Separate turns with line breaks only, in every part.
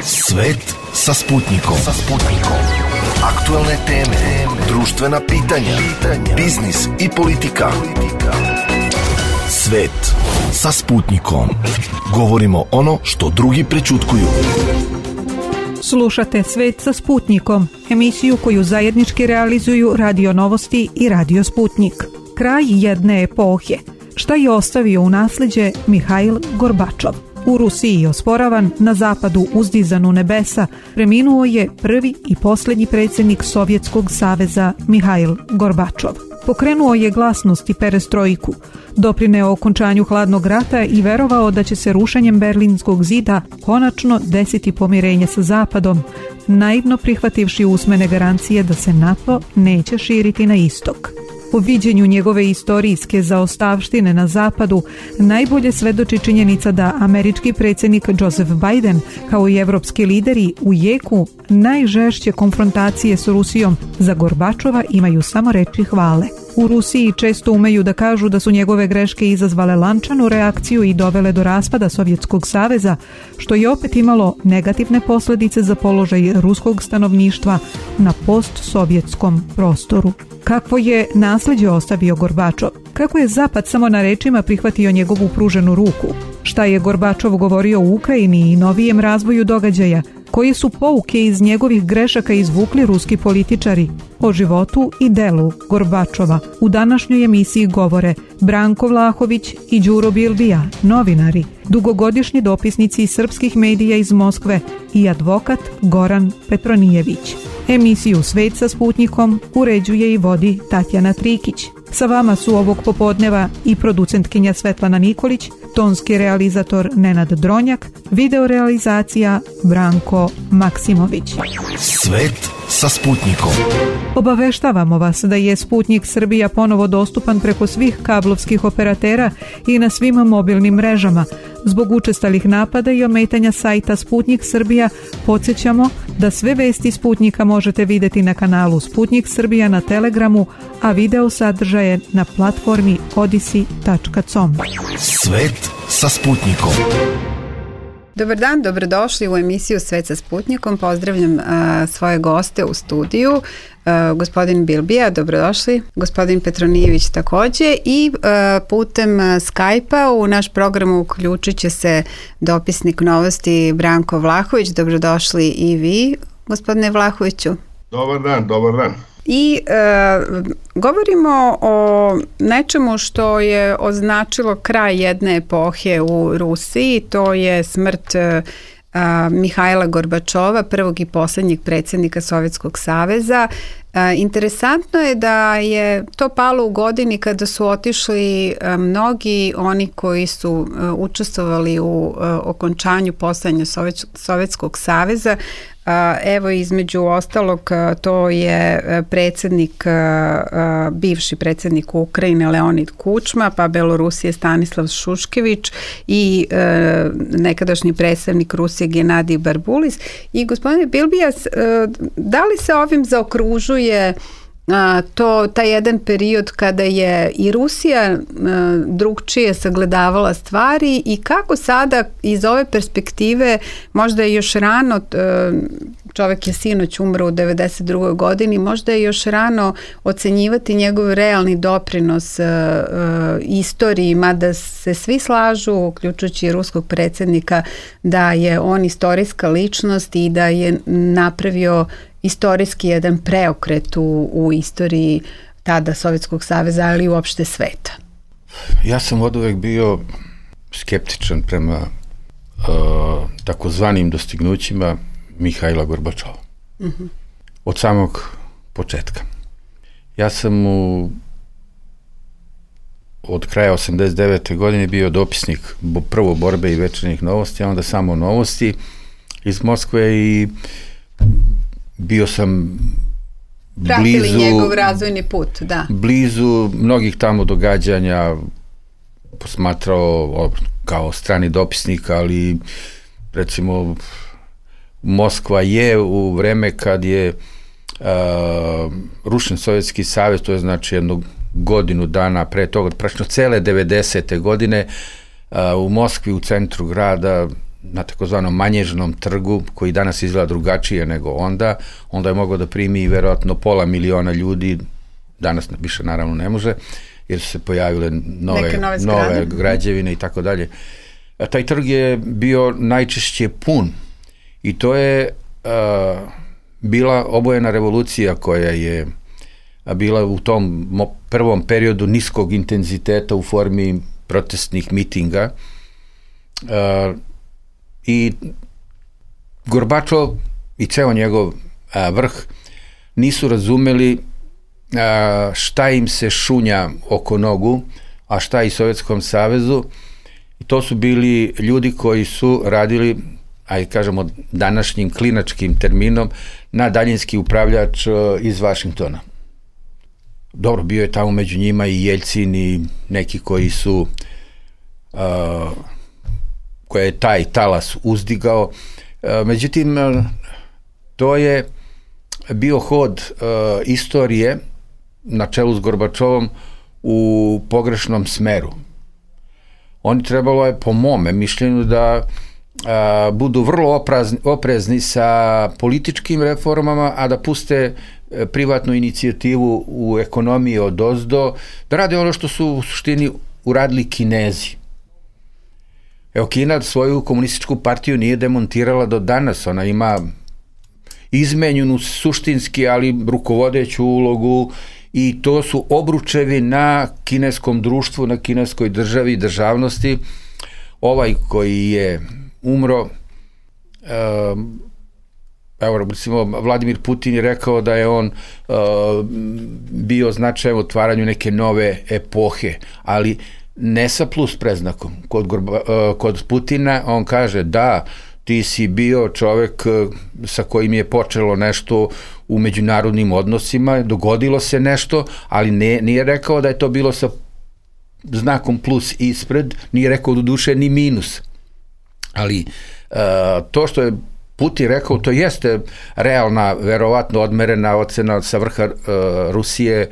Svet sa Sputnikom. Aktuelne teme, društvena pitanja, biznis i politika. Svet sa Sputnikom. Govorimo ono što drugi prećutkuju.
Slušate Svet sa Sputnikom, emisiju koju zajednički realizuju Radio Novosti i Radio Sputnik. Kraj jedne epohe. Šta je ostavio u nasleđe Mihail Gorbačov? U Rusiji osporavan, na zapadu uzdizan u nebesa, preminuo je prvi i posljednji predsjednik Sovjetskog saveza Mihail Gorbačov. Pokrenuo je glasnost i perestrojku, doprineo okončanju hladnog rata i verovao da će se rušenjem Berlinskog zida konačno desiti pomirenje sa zapadom, naivno prihvativši usmene garancije da se NATO neće širiti na istok. U viđenju njegove istorijske zaostavštine na zapadu najbolje svedoči činjenica da američki predsjednik Joseph Biden kao i evropski lideri u jeku najžešće konfrontacije s Rusijom za Gorbačova imaju samo reči hvale. U Rusiji često umeju da kažu da su njegove greške izazvale lančanu reakciju i dovele do raspada Sovjetskog saveza, što je opet imalo negativne posljedice za položaj ruskog stanovništva na postsovjetskom prostoru. Kakvo je nasljeđe ostavio Gorbačov? Kako je Zapad samo na rečima prihvatio njegovu pruženu ruku? Šta je Gorbačov govorio u Ukrajini i novijem razvoju događaja? Koje su pouke iz njegovih grešaka izvukli ruski političari? O životu i delu Gorbačova u današnjoj emisiji govore Branko Vlahović i Đuro Bilbija, novinari, dugogodišnji dopisnici srpskih medija iz Moskve i advokat Goran Petronijević. Emisiju Svet sa Sputnikom uređuje i vodi Tatjana Trikić. Sa vama su ovog popodneva i producentkinja Svetlana Nikolić, tonski realizator Nenad Dronjak, videorealizacija Branko Maksimović.
Svet sa Sputnikom.
Obaveštavamo vas da je Sputnik Srbija ponovo dostupan preko svih kablovskih operatera i na svim mobilnim mrežama. Zbog učestalih napada i ometanja sajta Sputnik Srbija podsjećamo da sve vesti Sputnika možete vidjeti na kanalu Sputnik Srbija na Telegramu, a video sadržaje na platformi odisi.com.
Svet sa Sputnikom.
Dobar dan, dobrodošli u emisiju Svet sa Sputnikom. Pozdravljam svoje goste u studiju. Gospodin Bilbija, dobrodošli. Gospodin Petronijević također. I putem Skype-a u naš program uključit će se dopisnik Novosti Branko Vlahović. Dobrodošli i vi, gospodine Vlahoviću.
Dobar dan, dobar dan.
I govorimo o nečemu što je označilo kraj jedne epohe u Rusiji, to je smrt Mihaila Gorbačova, prvog i posljednjeg predsjednika Sovjetskog saveza. Interesantno je da je to palo u godini kada su otišli mnogi oni koji su učestvovali u okončanju postojanja Sovjetskog saveza. Evo, između ostalog, to je predsjednik, bivši predsjednik Ukrajine Leonid Kučma, pa Belorusije Stanislav Šuškević i nekadašnji predstavnik Rusije Genadij Barbulis. I gospodine Bilbijas, da li se ovim zaokružuje taj jedan period kada je i Rusija drugčije sagledavala stvari i kako sada iz ove perspektive, možda je još rano, čovjek je sinoć umro u 92. godini, možda je još rano ocenjivati njegov realni doprinos istoriji, mada se svi slažu, uključujući ruskog predsjednika, da je on istorijska ličnost i da je napravio istorijski jedan preokret u istoriji tada Sovjetskog saveza, ali i uopšte sveta.
Ja sam oduvek bio skeptičan prema takozvanim dostignućima Mihaila Gorbačova. Uh-huh. Od samog početka. Ja sam od kraja 89. godine bio dopisnik prvo Borbe i Večernjih novosti, a onda samo Novosti iz Moskve i bio sam
pratili njegov razvojni put, da.
Blizu mnogih tamo događanja, posmatrao kao strani dopisnik, ali recimo Moskva je u vreme kad je rušen Sovjetski savez, to je znači jednu godinu dana pre toga, praktično cele 90. godine u Moskvi u centru grada na takozvanom Manježnom trgu, koji danas izgleda drugačije nego onda je mogao da primi verovatno 500.000 ljudi, danas više naravno ne može, jer su se pojavile nove građevine i tako dalje. Taj trg je bio najčešće pun i to je bila obojena revolucija koja je bila u tom prvom periodu niskog intenziteta u formi protestnih mitinga i Gorbačov i ceo njegov vrh nisu razumeli šta im se šunja oko nogu, a šta i Sovjetskom savezu. I to su bili ljudi koji su radili, ajde kažemo današnjim klinačkim terminom, na daljinski upravljač iz Vašingtona. Dobro, bio je tamo među njima i Jeljcin i neki koji su koje je taj talas uzdigao. Međutim, to je bio hod istorije na čelu s Gorbačovom u pogrešnom smeru. Oni trebalo je, po mome mišljenju, da budu vrlo oprezni sa političkim reformama, a da puste privatnu inicijativu u ekonomiji odozdo, da rade ono što su u suštini uradili Kinezi. Evo, Kina svoju komunističku partiju nije demontirala do danas, ona ima izmenjenu suštinski, ali rukovodeću ulogu i to su obručevi na kineskom društvu, na kineskoj državi i državnosti. Ovaj koji je umro, evo, recimo, Vladimir Putin je rekao da je on bio značajan u otvaranju neke nove epohe, ali ne sa plus preznakom. Kod Putina on kaže da, ti si bio čovek sa kojim je počelo nešto u međunarodnim odnosima, dogodilo se nešto, ali nije rekao da je to bilo sa znakom plus ispred, nije rekao do duše ni minus. Ali to što je Putin rekao, to jeste realna, verovatno odmerena ocena sa vrha Rusije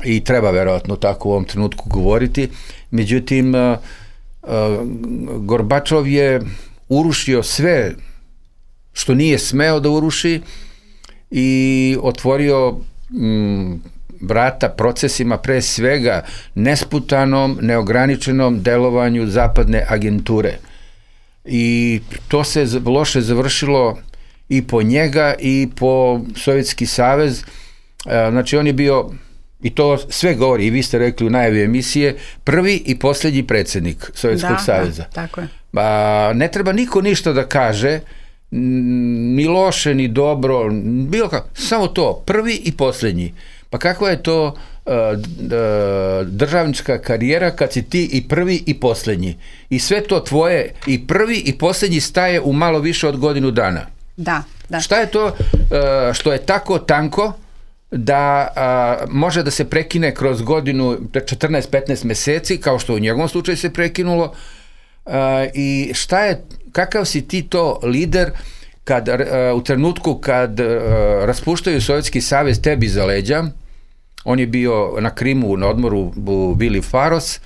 i treba verovatno tako u ovom trenutku govoriti. Međutim, Gorbačov je urušio sve što nije smeo da uruši i otvorio vrata procesima, pre svega nesputanom, neograničenom delovanju zapadne agenture. I to se loše završilo i po njega i po Sovjetski savez. Znači, on je bio, i to sve govori, i vi ste rekli u najavi emisije, prvi i posljednji predsjednik Sovjetskog saveza.
Da, tako je.
Ne treba niko ništa da kaže, ni loše, ni dobro, bilo kako, samo to, prvi i posljednji. Pa kakva je to državnička karijera kad si ti i prvi i posljednji? I sve to tvoje i prvi i posljednji staje u malo više od godinu dana.
Da.
Šta je to što je tako tanko da može da se prekine kroz godinu 14-15 meseci, kao što u njegovom slučaju se prekinulo, i kakav si ti to lider kad u trenutku kad raspuštaju Sovjetski savez tebi za leđa? On je bio na Krimu na odmoru u Vili Faros,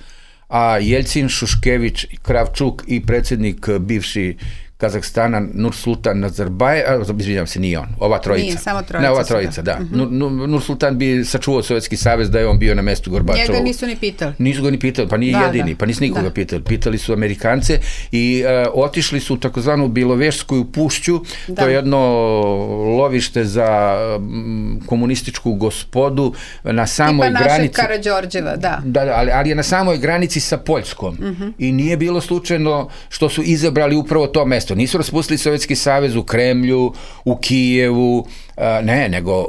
a Jeljcin, Šuškević, Kravčuk i predsjednik bivši Kazahstana Nursultan Nazarbajev, izvinjam se, nije on, ova trojica.
Nije, samo trojica.
Ne, ova trojica, da. Nursultan bi sačuvao Sovjetski savez da je on bio na mestu Gorbačovu.
Njega nisu ni pitali.
Nisu ga ni pitali, pa nije jedini, pa nisu nikoga pitali. Pitali su Amerikance i otišli su u takozvanu Bilovešsku pušću, to je jedno lovište za komunističku gospodu na samoj granici. Tipa našeg
Karađorđeva, da.
Ali je na samoj granici sa Poljskom. I nije bilo slučajno što su izabrali upravo to mesto. Nisu raspustili Sovjetski savez u Kremlju, u Kijevu, ne, nego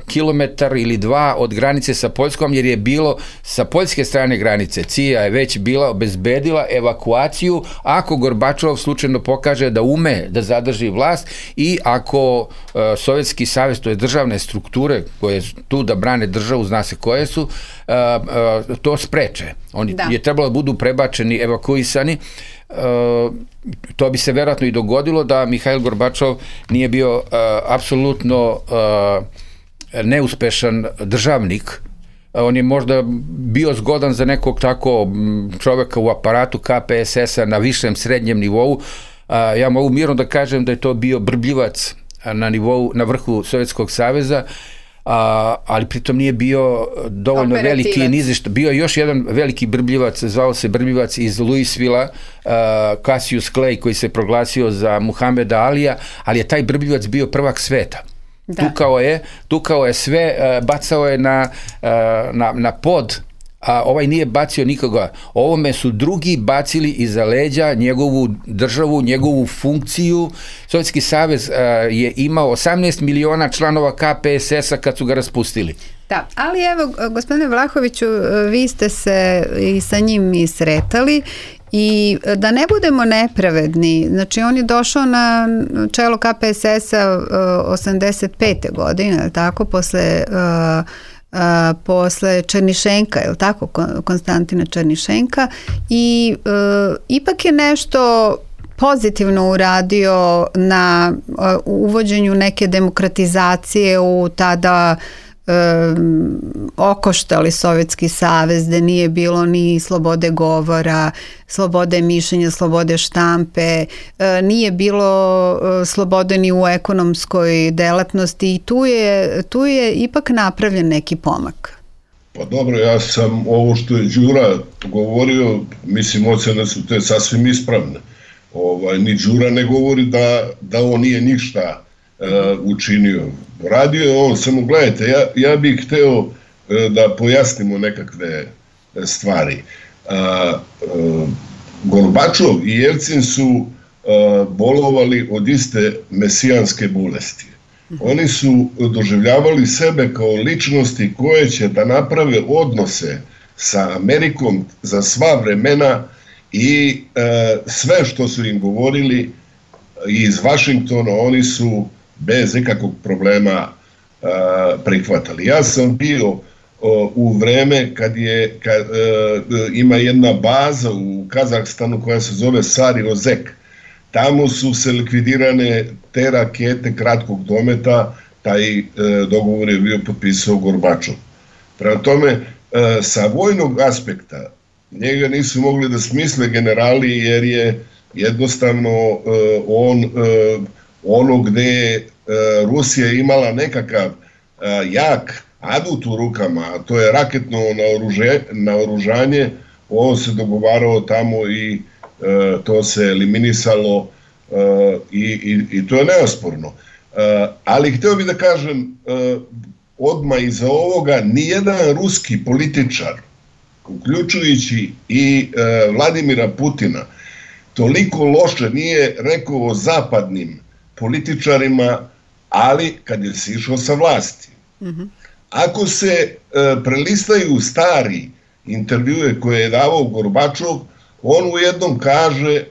kilometar ili dva od granice sa Poljskom, jer je bilo sa poljske strane granice. CIA je već bila obezbedila evakuaciju ako Gorbačov slučajno pokaže da ume da zadrži vlast i ako Sovjetski savez, to je državne strukture koje su tu da brane državu, zna se koje su, to spreče. Oni je trebalo da budu prebačeni, evakuisani. To bi se verovatno i dogodilo da Mihail Gorbačov nije bio apsolutno neuspešan državnik. On je možda bio zgodan za nekog tako čoveka u aparatu KPSS-a na višem srednjem nivou, Ja mogu mirno da kažem da je to bio brbljivac na vrhu Sovjetskog saveza, ali pritom nije bio dovoljno veliki nizišta. Bio je još jedan veliki brbljivac, zvao se brbljivac iz Louisvilla, Cassius Clay, koji se proglasio za Muhameda Alija, ali je taj brbljivac bio prvak sveta. Tukao je sve, bacao je na pod, a ovaj nije bacio nikoga. Ovome su drugi bacili iza leđa njegovu državu, njegovu funkciju. Sovjetski savez je imao 18 miliona članova KPSS-a kad su ga raspustili.
Da, ali evo, gospodine Vlahoviću, vi ste se i sa njim i sretali i da ne budemo nepravedni, znači on je došao na čelo KPSS-a 85. godine, tako, posle Černišenka, je li tako, Konstantina Černišenka, i ipak je nešto pozitivno uradio na uvođenju neke demokratizacije u tada okoštali Sovjetski savez, gde nije bilo ni slobode govora, slobode mišljenja, slobode štampe, nije bilo slobode ni u ekonomskoj delatnosti i tu je ipak napravljen neki pomak.
Pa dobro, ja sam ovo što je Đura govorio, mislim, ocene su te sasvim ispravne. Ni Đura ne govori da on nije ništa učinio. Radio je on, samo gledajte, ja bih hteo da pojasnimo nekakve stvari. Gorbačov i Jelcin su bolovali od iste mesijanske bolesti. Oni su doživljavali sebe kao ličnosti koje će da naprave odnose sa Amerikom za sva vremena i sve što su im govorili iz Vašingtona oni su bez ikakvog problema prihvatali. Ja sam bio u vreme kad ima jedna baza u Kazahstanu koja se zove Sari-Ozek. Tamo su se likvidirane te rakete kratkog dometa, taj dogovor je bio potpisao Gorbačov. Prema tome, sa vojnog aspekta njega nisu mogli da smisle generali jer je jednostavno ono gde je Rusija imala nekakav jak adut u rukama, a to je raketno naoružanje, on se dogovarao tamo i to se eliminisalo i to je neosporno. Ali hteo bih da kažem, odmah iza ovoga nijedan ruski političar, uključujući i Vladimira Putina, toliko loše nije rekao o zapadnim političarima, ali kad je sišao sa vlasti. Ako se prelistaju stari intervjue koje je davao Gorbačov, on u jednom kaže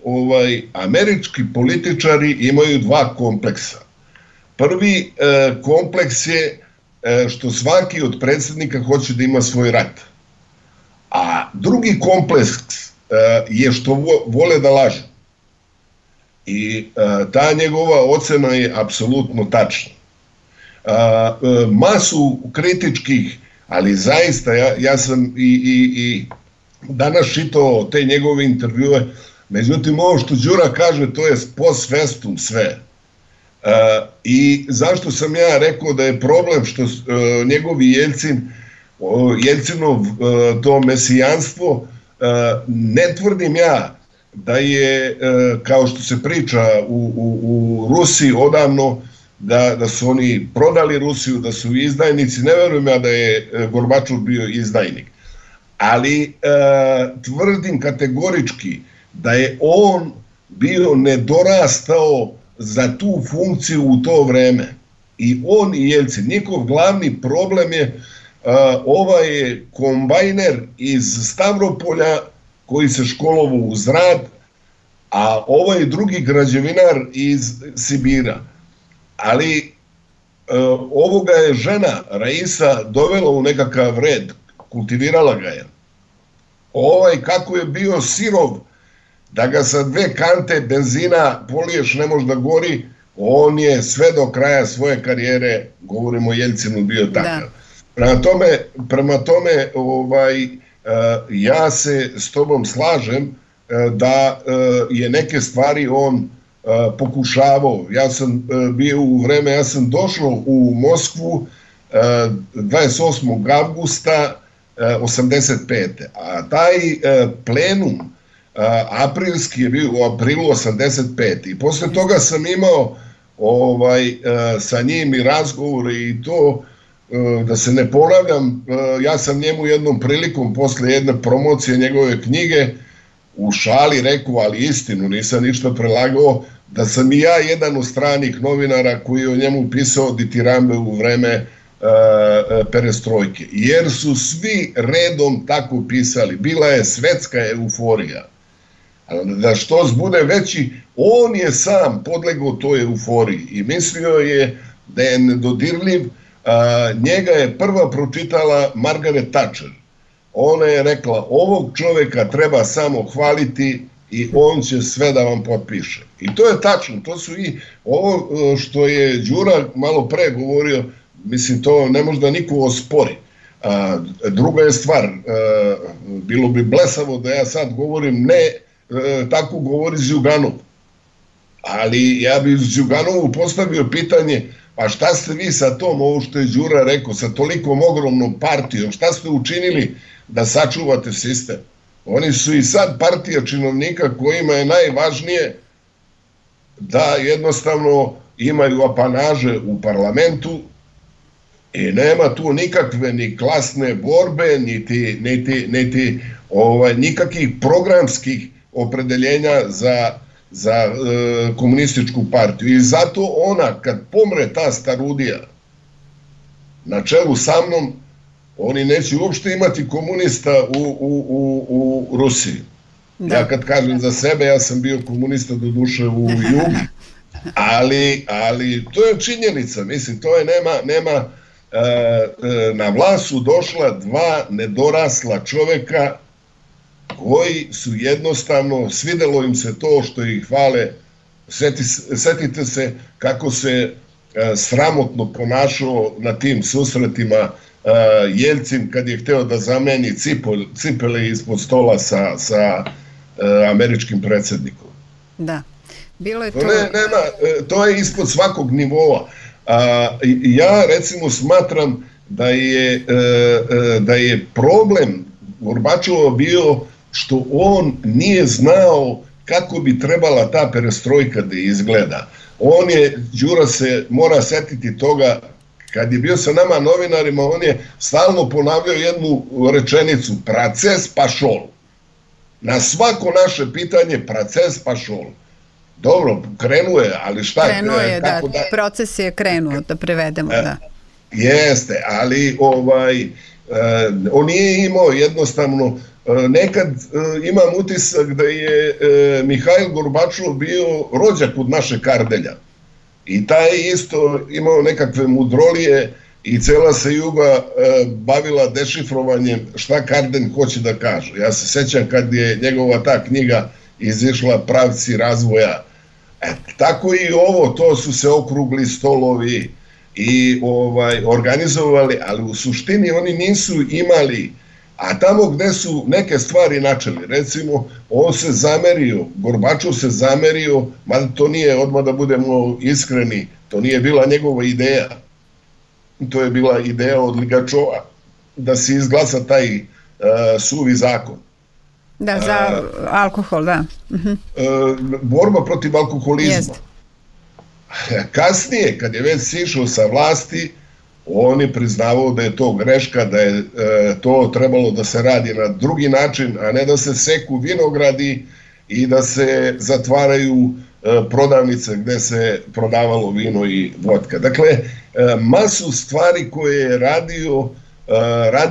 američki političari imaju dva kompleksa. Prvi kompleks je što svaki od predsjednika hoće da ima svoj rat. A drugi kompleks je što vole da lažu. I ta njegova ocena je apsolutno tačna. Masu kritičkih, ali zaista ja sam i danas čitao te njegove intervjue, međutim ovo što Đura kaže to je post festum sve. I zašto sam ja rekao da je problem što njegovi Jelcinov to mesijanstvo, ne tvrdim ja da je, kao što se priča u Rusiji odavno, da su oni prodali Rusiju, da su izdajnici, ne verujem ja da je Gorbačov bio izdajnik. Ali tvrdim kategorički da je on bio nedorastao za tu funkciju u to vreme. I on i Jelcin, njihov glavni problem je ovaj kombajner iz Stavropolja koji se školovao uz rad, a ovaj drugi građevinar iz Sibira. Ali ovoga je žena Raisa dovela u nekakav red, kultivirala ga je. Kako je bio sirov, da ga sa 2 kante benzina poliješ ne može da gori, on je sve do kraja svoje karijere, govorimo o Jelcinu, bio takav. Prema tome, ja se s tobom slažem da je neke stvari on pokušavao. Ja sam bio ja sam došao u Moskvu 28. avgusta 85. A taj plenum aprilski je bio u aprilu 85. I posle toga sam imao sa njim i razgovore i to, da se ne ponavljam, ja sam njemu jednom prilikom posle jedne promocije njegove knjige u šali rekao, ali istinu, nisam ništa prelagao, da sam i ja jedan od stranih novinara koji je o njemu pisao ditirambe u vreme perestrojke. Jer su svi redom tako pisali. Bila je svetska euforija. Da što bude veći, on je sam podlegao toj euforiji i mislio je da je nedodirljiv. Njega je prva pročitala Margaret Thatcher. Ona je rekla, ovog čoveka treba samo hvaliti i on će sve da vam potpiše. I to je tačno, to su i ovo što je Đura malo pre govorio, mislim, to ne može da niko ospori. Druga je stvar, bilo bi blesavo da ja sad govorim, ne tako govori Zjuganov. Ali ja bi Zjuganovu postavio pitanje, pa šta ste vi sa tom, ovo što je Đura rekao, sa tolikom ogromnom partijom, šta ste učinili da sačuvate sistem? Oni su i sad partija činovnika kojima je najvažnije da jednostavno imaju apanaže u parlamentu i nema tu nikakve ni klasne borbe, niti nikakvih programskih opredeljenja za komunističku partiju. I zato ona, kad pomre ta starudija na čelu sa mnom, oni neće uopšte imati komunista u Rusiji. Da. Ja kad kažem za sebe, ja sam bio komunista do duše u Jugi, ali to je činjenica, mislim, to je nema na vlast su došla dva nedorasla čoveka koji su jednostavno, svidelo im se to što ih hvale. Setite se kako se sramotno ponašao na tim susretima Jelcin kad je hteo da zameni cipele ispod stola sa američkim predsjednikom.
Da, bilo je to...
To je ispod svakog nivoa. Ja recimo smatram da je problem Gorbačova bio što on nije znao kako bi trebala ta perestrojka da izgleda. Đura se mora setiti toga, kad je bio sa nama novinarima, on je stalno ponavljao jednu rečenicu, proces pašol. Na svako naše pitanje, proces pašol. Dobro, krenuo je, ali šta?
Krenuo je, da, proces je krenuo, da prevedemo, da.
Jeste, ali on nije imao jednostavno, nekad imam utisak da je Mihajl Gorbačov bio rođak od našeg Kardelja. I taj isto imao nekakve mudrolije i cela se Juga bavila dešifrovanjem šta Kardelj hoće da kaže. Ja se sećam kad je njegova ta knjiga izišla Pravci razvoja. Tako i ovo, to su se okrugli stolovi i organizovali, ali u suštini oni nisu imali, a tamo gde su neke stvari načeli, recimo, on se zamerio, Gorbačov se zamerio, mada to nije, odmah da budemo iskreni, to nije bila njegova ideja, to je bila ideja od Ligačova, da se izglasa taj suvi zakon.
Da, za alkohol, da.
Borba protiv alkoholizma.
Jest.
Kasnije, kad je već sišao sa vlasti, on je priznavao da je to greška, da je to trebalo da se radi na drugi način, a ne da se seku vinogradi i da se zatvaraju prodavnice gde se prodavalo vino i vodka. Dakle, masu stvari koje je radio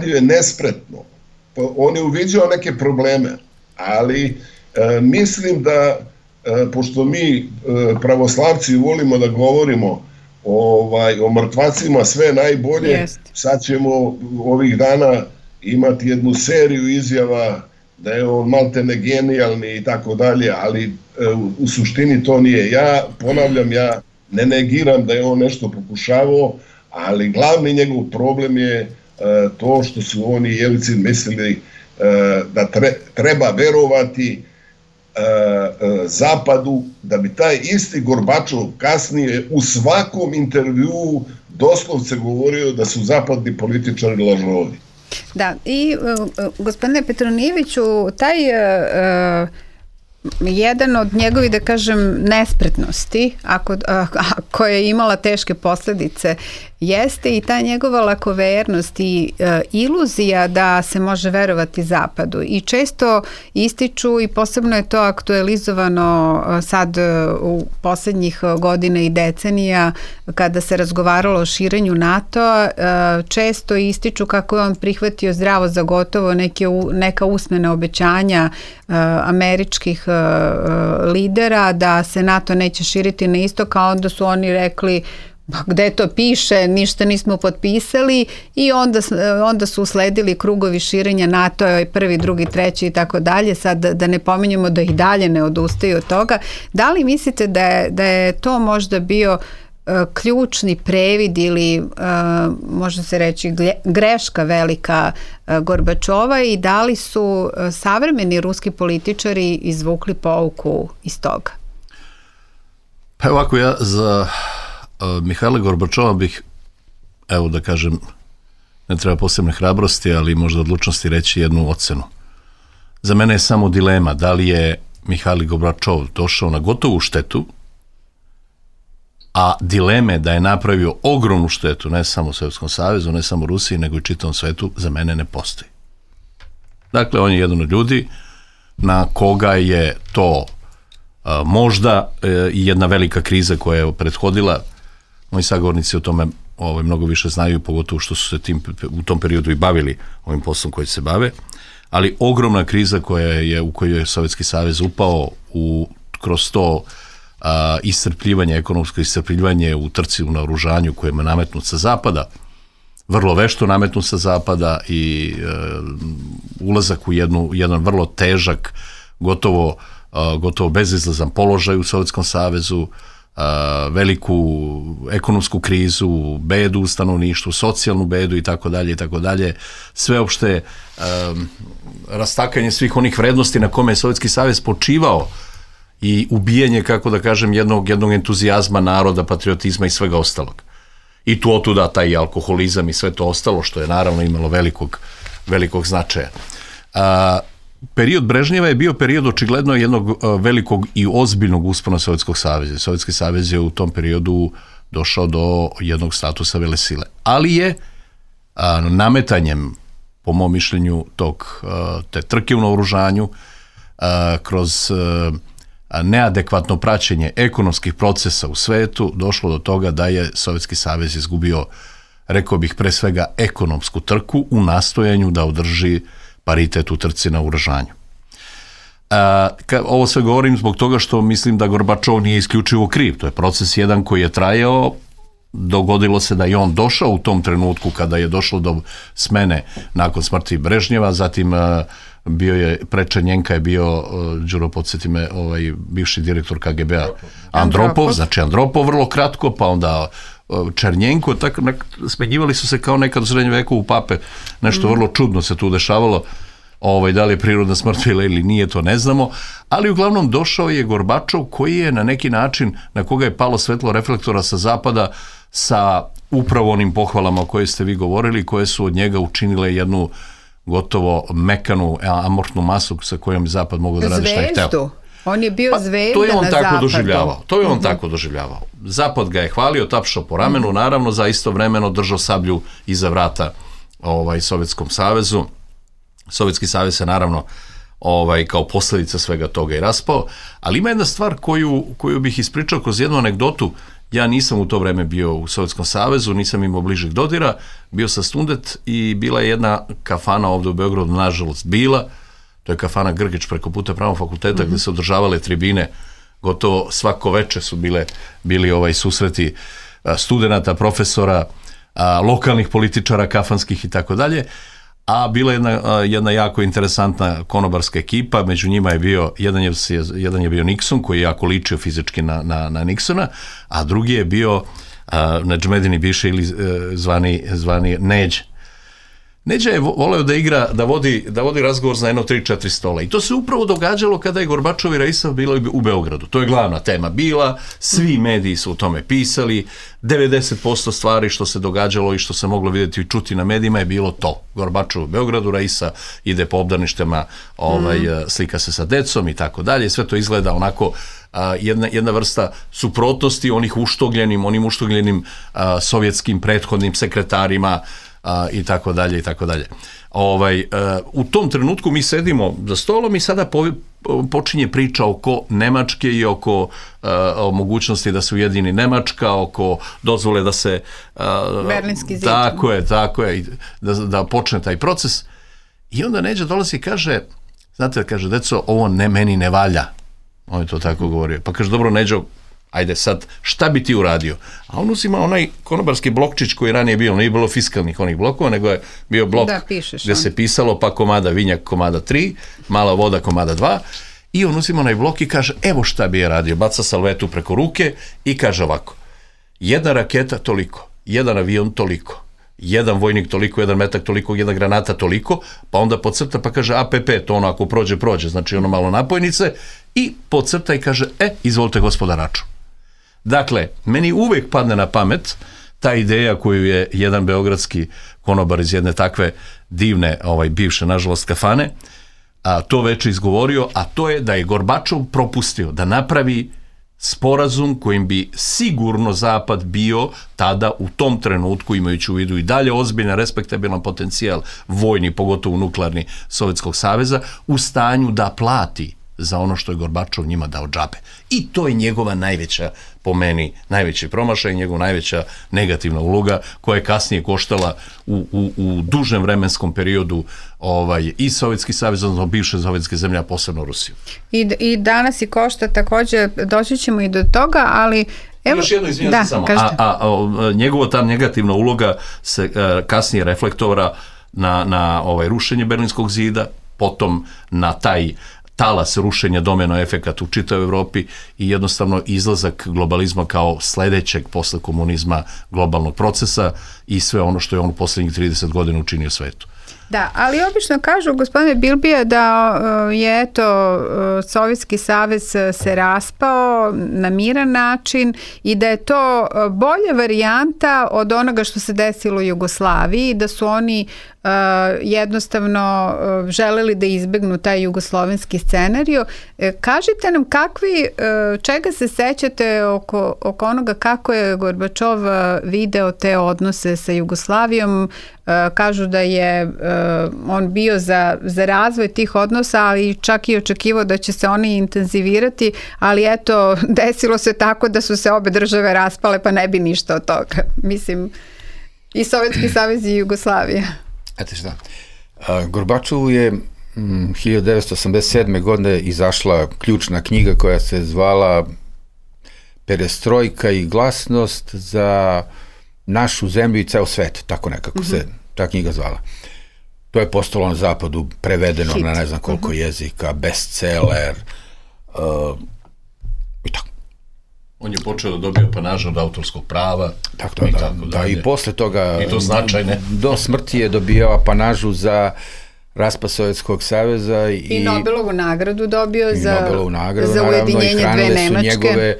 je nespretno. On je uviđao neke probleme, ali mislim da, pošto mi pravoslavci volimo da govorimo o mrtvacima sve najbolje, sad ćemo ovih dana imati jednu seriju izjava da je on maltene genijalni i tako dalje, ali u suštini to nije. Ja ponavljam, ja ne negiram da je on nešto pokušavao, ali glavni njegov problem je to što su oni Jelcin mislili da treba verovati Zapadu, da bi taj isti Gorbačov kasnije u svakom intervjuu doslovce govorio da su zapadni političari lažovi.
Da, i gospodine Petronijeviću, taj jedan od njegovih, da kažem, nespretnosti, koja je imala teške posledice, jeste i ta njegova lakovernost i iluzija da se može verovati Zapadu. I često ističu, i posebno je to aktualizovano sad u poslednjih godina i decenija, kada se razgovaralo o širenju NATO-a, često ističu kako je on prihvatio zdravo za gotovo neka usmena obećanja američkih lidera da se NATO neće širiti na istok, a onda su oni rekli gde to piše, ništa nismo potpisali, i onda su usledili krugovi širenja NATO-a, prvi, drugi, treći i tako dalje, sad da ne pominjemo da ih dalje ne odustaju od toga. Da li mislite da je to možda bio ključni previd ili može se reći greška velika Gorbačova, i da li su savremeni ruski političari izvukli pouku iz toga?
Pa ovako, ja za Mihajla Gorbačova bih, evo da kažem, ne treba posebne hrabrosti, ali možda odlučnosti reći jednu ocenu. Za mene je samo dilema da li je Mihajl Gorbačov došao na gotovu štetu, a dileme da je napravio ogromnu štetu, ne samo Sovjetskom savezu, ne samo Rusiji, nego i čitavom svetu, za mene ne postoji. Dakle, on je jedan od ljudi na koga je to možda i jedna velika kriza koja je prethodila. Moji sagovornici o tome mnogo više znaju, pogotovo što su se u tom periodu i bavili ovim poslom koji se bave, ali ogromna kriza u kojoj je Sovjetski savez upao kroz to iscrpljivanje, ekonomsko iscrpljivanje u trci u naoružanju koje je nametnut sa zapada, vrlo vešto nametnut sa zapada, i ulazak u jedan vrlo težak, gotovo bezizlazan položaj u Sovjetskom savezu, veliku ekonomsku krizu, bedu u stanovništvu, socijalnu bedu i tako dalje, sveopšte rastakanje svih onih vrednosti na kome je Sovjetski savez počivao i ubijanje, kako da kažem, jednog entuzijazma naroda, patriotizma i svega ostalog. I tu otuda taj alkoholizam i sve to ostalo, što je naravno imalo velikog značaja. Period Brežnjeva je bio period očigledno jednog velikog i ozbiljnog uspona Sovjetskog saveza. Sovjetski savez je u tom periodu došao do jednog statusa velesile. Ali je nametanjem, po mom mišljenju, te trke u naoružanju, kroz neadekvatno praćenje ekonomskih procesa u svetu, došlo do toga da je Sovjetski savez izgubio, rekao bih, pre svega ekonomsku trku u nastojanju da održi paritet u trci na naoružanju. Ovo sve govorim zbog toga što mislim da Gorbačov nije isključivo kriv. To je proces jedan koji je trajao. Dogodilo se da je on došao u tom trenutku kada je došlo do smene nakon smrti Brežnjeva, zatim bio je, Černjenka je bio, Đuro, podsjeti me, bivši direktor KGB-a Andropov, znači Andropov vrlo kratko, pa onda Černjenko, tako smenjivali su se kao nekad u srednjem veku u pape, nešto vrlo čudno se tu dešavalo, da li je prirodna smrt ili nije, to ne znamo, ali uglavnom došao je Gorbačov koji je na neki način, na koga je palo svetlo reflektora sa zapada, sa upravo onim pohvalama o kojoj ste vi govorili, koje su od njega učinile jednu gotovo mekanu, amorfnu masu sa kojom zapad mogu da radi šta je hteo.
On je bio zvezda na zapadu.
To je on tako doživljavao. Zapad ga je hvalio, tapšao po ramenu, naravno za istovremeno držao sablju iza vrata Sovjetskom savezu. Sovjetski savez se naravno kao posljedica svega toga i raspao, ali ima jedna stvar koju bih ispričao kroz jednu anegdotu. Ja nisam u to vreme bio u Sovjetskom savezu, nisam imao bližeg dodira, bio sam student i bila je jedna kafana ovdje u Beogradu, nažalost bila, to je kafana Grgić preko puta Pravnog fakulteta, gdje se održavale tribine, gotovo svako veče su bili susreti studenata, profesora, lokalnih političara, kafanskih i tako dalje, a bila je jedna jako interesantna konobarska ekipa, među njima je bio, jedan je bio Nixon, koji je jako ličio fizički na Nixona, a drugi je bio Nedžmedini Biše ili zvani Neđ. Neđa je voleo da igra, da vodi razgovor za jedno 3-4 stola. I to se upravo događalo kada je Gorbačov i Raisov bilo u Beogradu. To je glavna tema bila, svi mediji su o tome pisali, 90% stvari što se događalo i što se moglo vidjeti i čuti na medijima je bilo to. Gorbačov u Beogradu, Raisa ide po obdaništima, slika se sa decom i tako dalje. Sve to izgleda onako jedna vrsta suprotnosti onim uštogljenim sovjetskim prethodnim sekretarima i tako dalje i tako dalje. U tom trenutku mi sedimo za stolom i sada počinje priča oko Nemačke i oko mogućnosti da se ujedini Nemačka, oko dozvole da se
Berlinski zid.
Tako je, da počne taj proces. I onda Neđa dolazi i kaže, znate, kaže, deco, ovo meni ne valja. On je to tako govorio. Pa kaže, dobro, Neđo, ajde sad, šta bi ti uradio? A on uzima onaj konobarski blokčić koji ranije bio, nije bilo fiskalnih onih blokova, nego je bio blok gdje se pisalo pa komada vinjak, komada 3, mala voda, komada 2, i on uzima onaj blok i kaže, evo šta bi je radio, baca salvetu preko ruke i kaže ovako, jedna raketa toliko, jedan avion toliko, jedan vojnik toliko, jedan metak toliko, jedna granata toliko, pa onda podcrta pa kaže APP, to ono ako prođe, znači ono malo napojnice, i podcrta i kaže, izvolite gospoda račun. Dakle, meni uvijek padne na pamet ta ideja koju je jedan beogradski konobar iz jedne takve divne, bivše, nažalost, kafane, to već izgovorio, a to je da je Gorbačov propustio da napravi sporazum kojim bi sigurno Zapad bio tada u tom trenutku, imajući u vidu i dalje ozbiljan, respektabilan potencijal vojni, pogotovo nuklearni Sovjetskog saveza, u stanju da plati za ono što je Gorbačov njima dao džabe. I to je njegova najveća, po meni, najveći promašaj, njegova najveća negativna uloga koja je kasnije koštala u dužem vremenskom periodu i Sovjetski savez, odnosno bivše sovjetske zemlje, a posebno Rusiju.
I danas i košta također, doći ćemo i do toga, ali evo,
još jedno, izvinjam se samo, njegova ta negativna uloga se kasnije reflektora na rušenje Berlinskog zida, potom na taj talas rušenja, domino efekat u čitavoj Evropi i jednostavno izlazak globalizma kao sljedećeg posle komunizma globalnog procesa i sve ono što je on u posljednjih 30 godina učinio svetu.
Da, ali obično kažu, gospodine Bilbija, da je Sovjetski savez se raspao na miran način i da je to bolja varijanta od onoga što se desilo u Jugoslaviji, da su oni jednostavno želeli da izbegnu taj jugoslovenski scenario. Kažite nam čega se sećate oko onoga kako je Gorbačov video te odnose sa Jugoslavijom. Kažu da je on bio za razvoj tih odnosa, ali čak i očekivao da će se oni intenzivirati, ali eto, desilo se tako da su se obe države raspale, pa ne bi ništa od toga. Mislim, i Sovjetski savez i Jugoslavija.
Znate šta, Gorbačovu je 1987. godine izašla ključna knjiga koja se zvala Perestrojka i glasnost za našu zemlju i ceo svet, tako nekako se ta knjiga zvala. To je postalo na zapadu prevedeno na ne znam koliko jezika, bestseller i tako.
On je počeo da dobija apanaže od autorskog prava.
I posle toga
i to značajne.
Do smrti je dobijao apanažu za raspad Sovjetskog saveza
i Nobelovu nagradu dobio za
i
ujedinjenje dve Nemačke.
Su njegove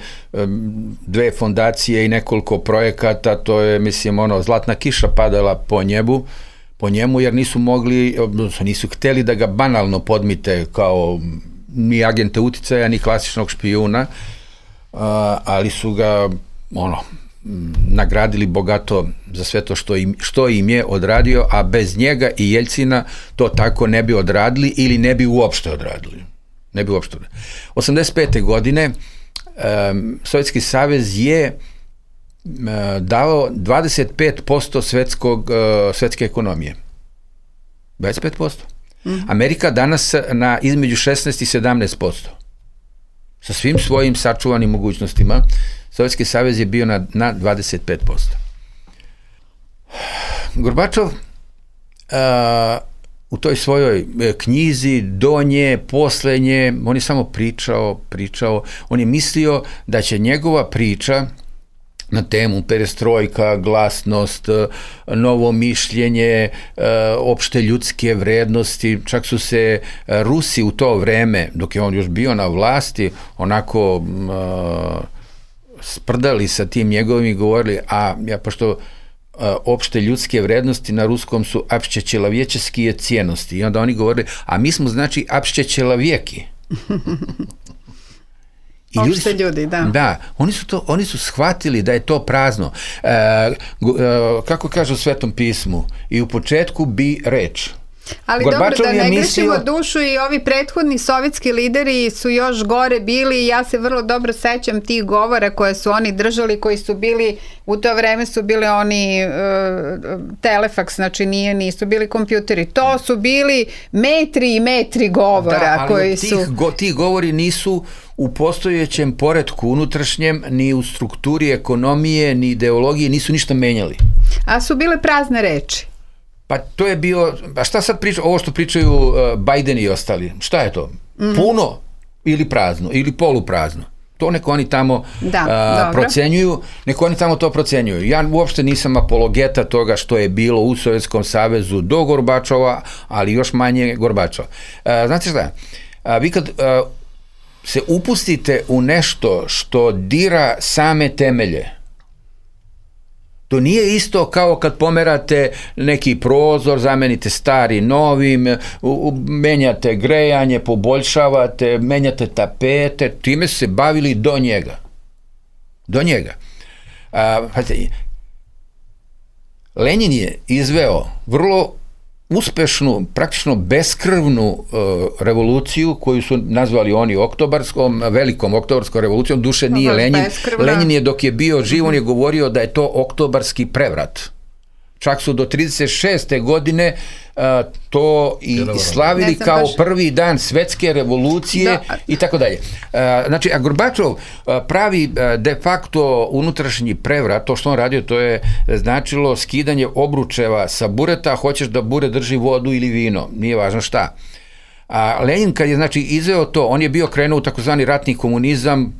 dve fondacije i nekoliko projekata, to je, mislim, zlatna kiša padala po njemu, jer nisu mogli, nisu hteli da ga banalno podmite kao ni agente uticaja, ni klasičnog špijuna, ali su ga nagradili bogato za sve to što im je odradio, a bez njega i Jeljcina to tako ne bi odradili ili ne bi uopšte odradili. 85. godine Sovjetski savez je dao 25% svetske ekonomije. 25%. Amerika danas na između 16 i 17%. Sa svim svojim sačuvanim mogućnostima, Sovjetski savez je bio na 25%. Gorbačov u toj svojoj knjizi, do nje, posle nje, on je samo pričao, on je mislio da će njegova priča na temu perestrojka, glasnost, novo mišljenje, opšte ljudske vrednosti. Čak su se Rusi u to vreme, dok je on još bio na vlasti, onako sprdali sa tim njegovim i govorili, pošto opšte ljudske vrednosti na ruskom su apšćećelavječeskije cijenosti. I onda oni govorili, a mi smo znači apšćećelavjeki.
Opšte ljudi, da.
Da, oni su shvatili da je to prazno. Kako kaže u Svetom pismu, i u početku bi reč.
Ali
Gorbačov
dobro, da ne
mislio...
grešimo dušu, i ovi prethodni sovjetski lideri su još gore bili, i ja se vrlo dobro sećam tih govora koje su oni držali, koji su bili, u to vreme su bili oni telefaks, znači nisu bili kompjuteri, to su bili metri i metri govora.
Da, ali
koji
ti govori nisu u postojećem poretku unutrašnjem, ni u strukturi ekonomije, ni ideologije, nisu ništa menjali.
A su bile prazne reči.
Pa to je bio, a šta sad priča, ovo što pričaju Biden i ostali, šta je to? Puno ili prazno, ili poluprazno? To neko oni tamo procenjuju, neko oni tamo to procenjuju. Ja uopšte nisam apologeta toga što je bilo u Sovjetskom savezu do Gorbačova, ali još manje Gorbačova. Znate šta, vi kad se upustite u nešto što dira same temelje, to nije isto kao kad pomerate neki prozor, zamenite stari novim, menjate grejanje, poboljšavate, menjate tapete, time se bavili do njega. Do njega. Lenin je izveo vrlo uspešnu, praktično beskrvnu revoluciju koju su nazvali oni velikom oktobarskom revolucijom, duše nije Lenin. Lenin je dok je bio živ, on je govorio da je to oktobarski prevrat. Čak su do 36. godine to i slavili kao prvi dan svetske revolucije i tako dalje. Znači, a Gorbačov pravi de facto unutrašnji prevrat, to što on radio, to je značilo skidanje obručeva sa bureta, hoćeš da bure drži vodu ili vino, nije važno šta. A Lenin kad je znači izveo to, on je bio krenuo u takozvani ratni komunizam,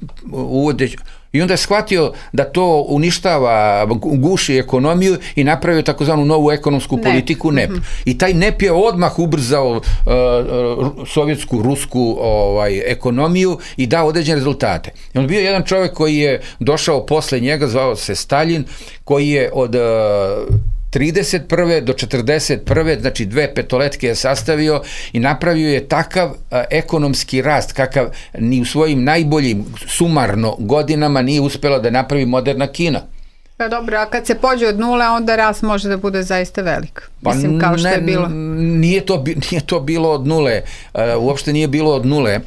i onda je shvatio da to uništava, guši ekonomiju i napravio takozvanu novu ekonomsku politiku NEP. I taj NEP je odmah ubrzao sovjetsku, rusku ekonomiju i dao određene rezultate. I on bio jedan čovjek koji je došao posle njega, zvao se Stalin, koji je od 31. do 41. znači 2 petoletke je sastavio i napravio je takav ekonomski rast kakav ni u svojim najboljim sumarno godinama nije uspela da napravi moderna Kina.
Pa dobro, a kad se pođe od nule, onda rast može da bude zaista velik. Mislim, kao što je bilo.
Nije to bilo od nule. Uopšte nije bilo od nule.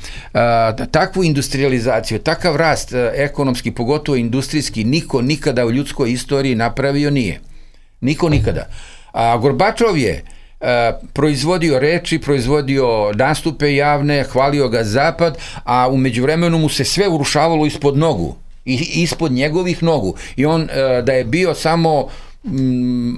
Takvu industrializaciju, takav rast ekonomski, pogotovo industrijski, niko nikada u ljudskoj istoriji napravio nije. Niko nikada. A Gorbačov je proizvodio reči, proizvodio nastupe javne, hvalio ga Zapad, a u međuvremenu mu se sve urušavalo ispod nogu. Ispod njegovih nogu. I on da je bio samo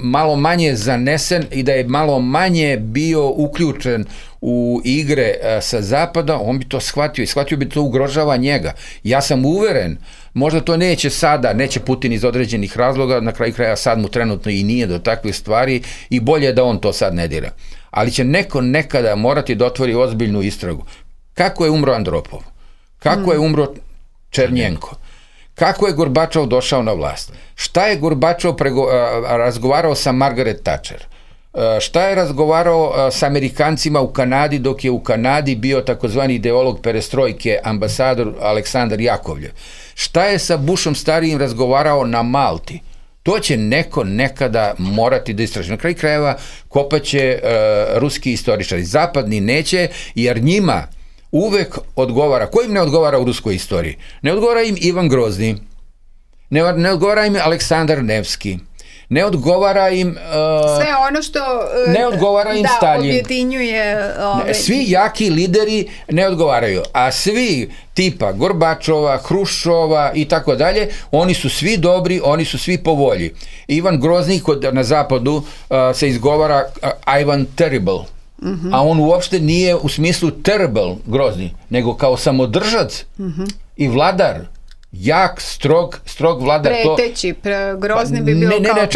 malo manje zanesen i da je malo manje bio uključen u igre sa Zapada, on bi to shvatio i shvatio bi to ugrožava njega. Ja sam uveren, možda to neće sada, neće Putin iz određenih razloga, na kraju kraja sad mu trenutno i nije do takvih stvari i bolje je da on to sad ne dira. Ali će neko nekada morati da otvori ozbiljnu istragu. Kako je umro Andropov? Kako je umro Černjenko? Kako je Gorbačov došao na vlast? Šta je Gorbačov razgovarao sa Margaret Thatcher? Šta je razgovarao sa Amerikancima u Kanadi dok je u Kanadi bio takozvani ideolog perestrojke, ambasador Aleksandar Jakovljev? Šta je sa Bushom starijim razgovarao na Malti? To će neko nekada morati da istraži. Na kraju krajeva kopaće ruski istoričari. Zapadni neće, jer njima uvek odgovara. Ko im ne odgovara u ruskoj istoriji? Ne odgovara im Ivan Grozni, ne odgovara im Aleksandar Nevski, ne odgovara im
sve ono što
ne odgovara im Stalin.
Objedinjuje
svi jaki lideri ne odgovaraju, a svi tipa Gorbačova, Hruščova i tako dalje, oni su svi dobri, oni su svi po volji. Ivan Grozni na zapadu se izgovara Ivan Terrible, a on uopšte nije u smislu terrible Grozni, nego kao samodržac i vladar jak, strog vladar.
Preteći, grozni bi bilo kao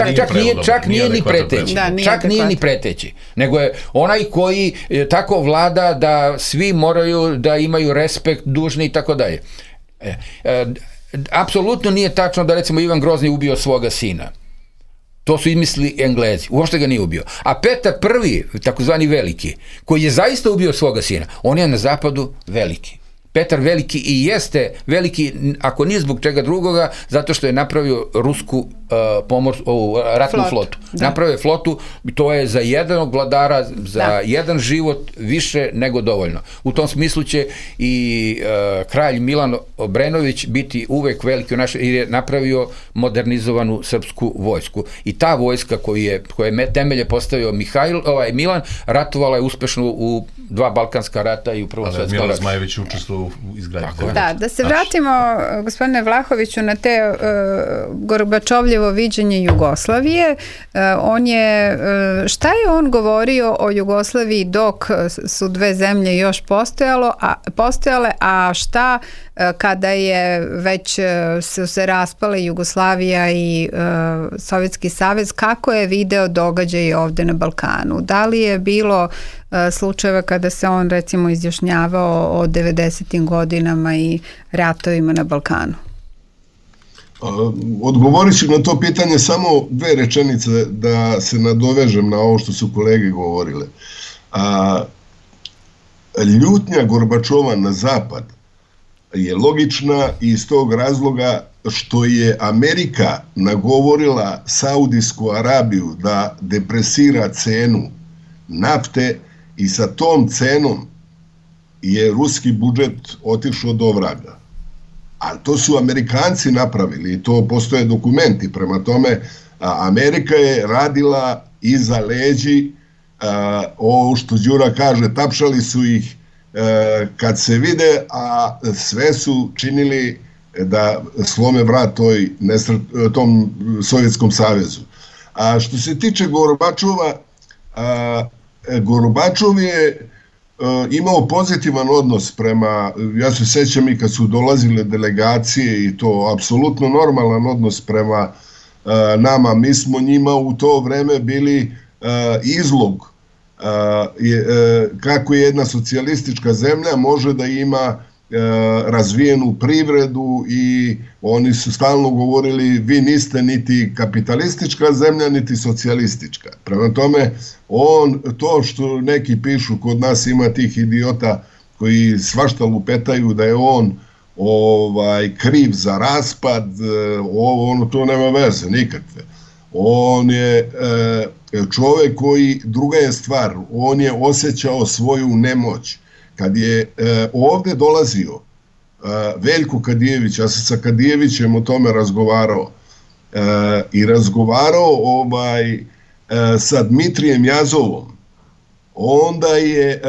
čak nije ni preteći. Čak nije ni preteći. Nego je onaj koji tako vlada da svi moraju da imaju respekt, dužni i tako dalje. Apsolutno nije tačno da recimo Ivan Grozni ubio svoga sina. To su izmislili Englezi. Uopšte ga nije ubio. A Petar I, takozvani veliki, koji je zaista ubio svoga sina, on je na zapadu veliki. Petar Veliki i jeste veliki, ako nije zbog čega drugoga, zato što je napravio rusku ratnu flotu. Da. Napravio je flotu, to je za jednog vladara, za jedan život više nego dovoljno. U tom smislu će i kralj Milan Obrenović biti uvek veliki jer je napravio modernizovanu srpsku vojsku. I ta vojska koja je temelje postavio Milan, ratovala je uspešno u 2 balkanska rata i u Prvom svetskom ratu.
Milan Zmajević učestvovao u izgradnji.
Da se vratimo, gospodine Vlahoviću, na te Gorbačovljevo viđenje Jugoslavije. Šta je on govorio o Jugoslaviji dok su 2 zemlje još postojale, a šta kada je već su se raspale Jugoslavija i Sovjetski savez, kako je video događaje ovde na Balkanu? Da li je bilo slučajeva kada se on recimo izjašnjavao o 90. godinama i ratovima na Balkanu?
Odgovorit ću na to pitanje samo 2 rečenice da se nadovežem na ovo što su kolege govorile. Ljutnja Gorbačova na zapad je logična iz tog razloga što je Amerika nagovorila Saudijsku Arabiju da depresira cenu nafte i sa tom cenom je ruski budžet otišao do vraga. A to su Amerikanci napravili i to postoje dokumenti. Prema tome, Amerika je radila iza leđi, ovo što Đura kaže, tapšali su ih kad se vide, a sve su činili da slome vrat tom Sovjetskom savezu. A što se tiče Gorbačova, Gorbačov je imao pozitivan odnos prema, ja se sećam i kad su dolazile delegacije i to apsolutno normalan odnos prema nama. Mi smo njima u to vreme bili izlog kako jedna socijalistička zemlja može da ima razvijenu privredu i oni su stalno govorili vi niste niti kapitalistička zemlja niti socijalistička. Prema tome, to što neki pišu, kod nas ima tih idiota koji svašta lupetaju da je on kriv za raspad, to nema veze nikakve. On je čovek koji, druga je stvar, on je osjećao svoju nemoć. Kad je ovde dolazio Veljko Kadijević, ja sam sa Kadijevićem o tome razgovarao i razgovarao sa Dmitrijem Jazovom, onda je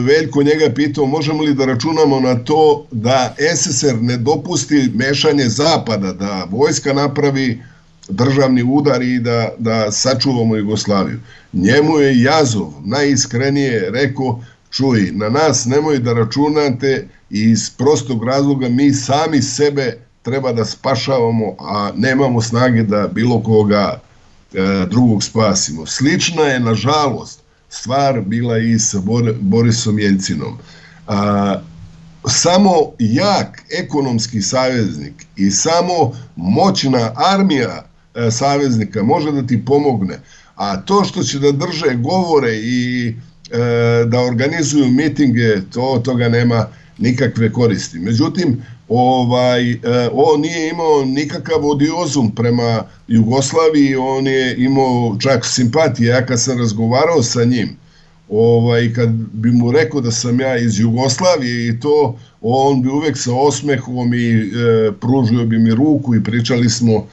Veljko njega pitao možemo li da računamo na to da SSR ne dopusti mešanje Zapada, da vojska napravi državni udar i da sačuvamo Jugoslaviju. Njemu je Jazov najiskrenije rekao čuj, na nas nemoj da računate i iz prostog razloga mi sami sebe treba da spašavamo, a nemamo snage da bilo koga drugog spasimo. Slična je, nažalost, stvar bila i sa Borisom Jeljcinom. Samo jak ekonomski saveznik i samo moćna armija saveznika može da ti pomogne, a to što će da drže govore i da organizuju mitinge, toga nema nikakve koristi. Međutim, on nije imao nikakav odiozum prema Jugoslaviji, on je imao čak simpatije. Ja kad sam razgovarao sa njim, kad bi mu rekao da sam ja iz Jugoslavije i to, on bi uvek sa osmehom i pružio bi mi ruku i pričali smo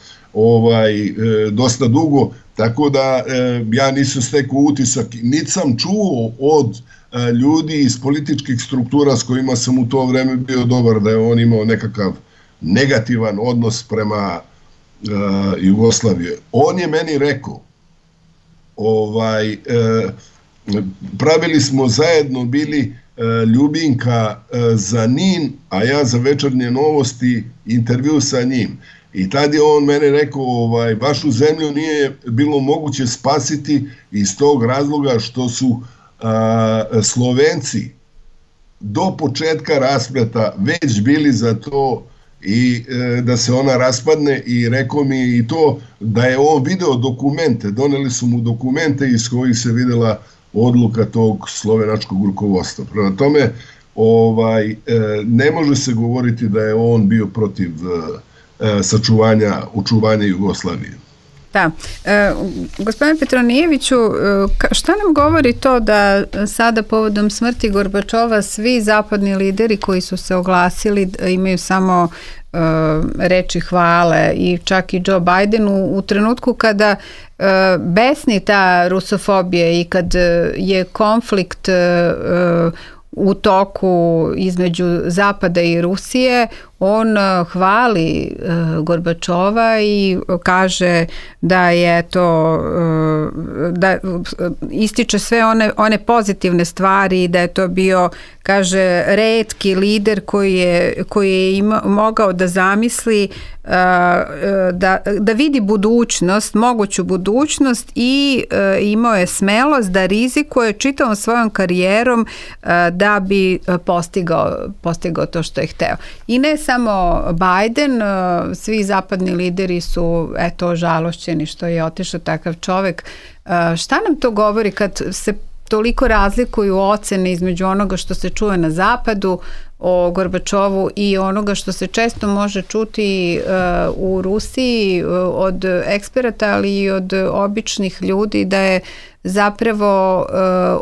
dosta dugo, tako da ja nisam stekao utisak, niti sam čuo od ljudi iz političkih struktura s kojima sam u to vreme bio dobar, da je on imao nekakav negativan odnos prema Jugoslavije. On je meni rekao, pravili smo zajedno bili Ljubinka za NIN, a ja za Večernje novosti, intervju sa njim. I tad je on mene rekao, vašu zemlju nije bilo moguće spasiti iz tog razloga što su Slovenci do početka raspleta već bili za to i da se ona raspadne, i rekao mi i to da je on video dokumente, doneli su mu dokumente iz kojih se videla odluka tog slovenačkog rukovodstva. Prema tome, ne može se govoriti da je on bio protiv očuvanja Jugoslavije.
Da. Gospodine Petronijeviću, šta nam govori to da sada povodom smrti Gorbačova svi zapadni lideri koji su se oglasili imaju samo reči hvale, i čak i Joe Biden u trenutku kada besni ta rusofobija i kad je konflikt u toku između Zapada i Rusije, on hvali Gorbačova i kaže da je to, da ističe sve one pozitivne stvari, da je to bio, kaže, retki lider koji je mogao da zamisli da vidi budućnost, moguću budućnost, i imao je smelost da rizikuje čitavom svojom karijerom da bi postigao to što je hteo. I ne samo Biden, svi zapadni lideri su žalošćeni što je otišao takav čovek. Šta nam to govori kad se toliko razlikuju ocene između onoga što se čuje na zapadu o Gorbačovu i onoga što se često može čuti u Rusiji od eksperata, ali i od običnih ljudi, da je zapravo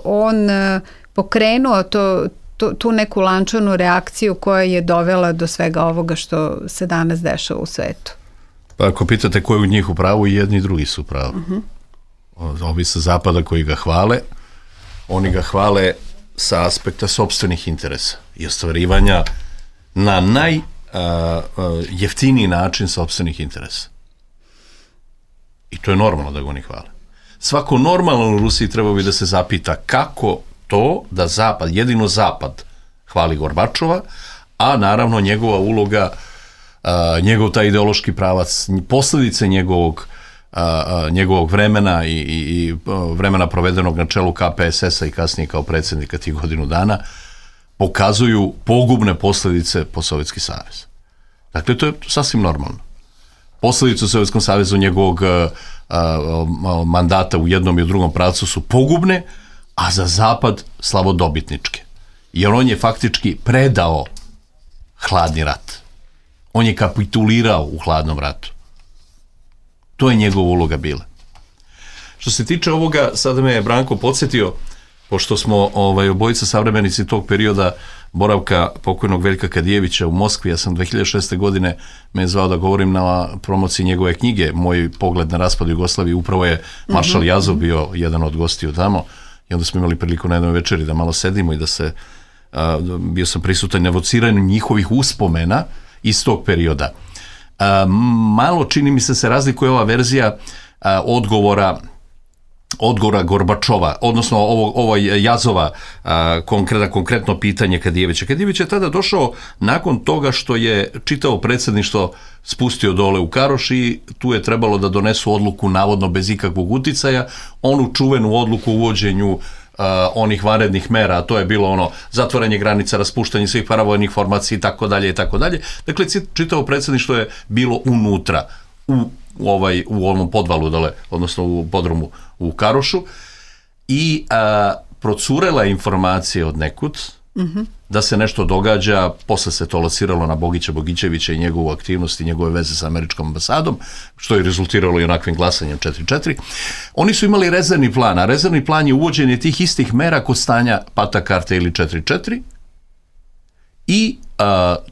on pokrenuo tu neku lančanu reakciju koja je dovela do svega ovoga što se danas dešava u svetu?
Pa ako pitate ko je u njih u pravu, i jedni i drugi su u pravu. Ovi sa zapada koji ga hvale, oni ga hvale sa aspekta sopstvenih interesa i ostvarivanja na najjeftiniji način sopstvenih interesa. I to je normalno da ga oni hvale. Svako normalno u Rusiji trebao bi da se zapita kako to da Zapad, jedino Zapad hvali Gorbačova, a naravno njegova uloga, njegov taj ideološki pravac, posljedice njegovog vremena i vremena provedenog na čelu KPSS-a i kasnije kao predsjednika tih godinu dana pokazuju pogubne posljedice po Sovjetski savez. Dakle, to je sasvim normalno. Posljedice u Sovjetskom savezu njegovog mandata u jednom i u drugom pravcu su pogubne, a za Zapad slavodobitničke. Jer on je faktički predao hladni rat. On je kapitulirao u hladnom ratu. To je njegova uloga bila. Što se tiče ovoga, sada me je Branko podsjetio, pošto smo obojica savremenici tog perioda boravka pokojnog Veljka Kadijevića u Moskvi. Ja sam 2006. godine me zvao da govorim na promociji njegove knjige Moj pogled na raspad Jugoslavije. Upravo je maršal Jazov bio jedan od gostiju tamo, i onda smo imali priliku na jednoj večeri da malo sedimo i da se, bio sam prisutan na evociranju njihovih uspomena iz tog perioda. Malo, čini mi se razlikuje ova verzija odgovora Gorbačova, odnosno ovo Jazova konkretno pitanje Kadijevića. Kadijević je tada došao nakon toga što je čitavo predsjedništvo spustio dole u Karoš i tu je trebalo da donesu odluku navodno bez ikakvog uticaja, onu čuvenu odluku o uvođenju onih vanrednih mera, a to je bilo zatvaranje granica, raspuštanje svih paravojnih formacija i tako dalje i tako dalje. Dakle, čitavo predsjedništvo je bilo unutra u onom podvalu dole, odnosno u podrumu u Karošu, i procurela informacije od nekud da se nešto događa. Posle se to lociralo na Bogića Bogićevića i njegovu aktivnost i njegove veze sa američkom ambasadom, što je rezultiralo i onakvim glasanjem 4-4. Oni su imali rezervni plan, a rezervni plan je uvođenje tih istih mera kod stanja pata karte ili 4-4, i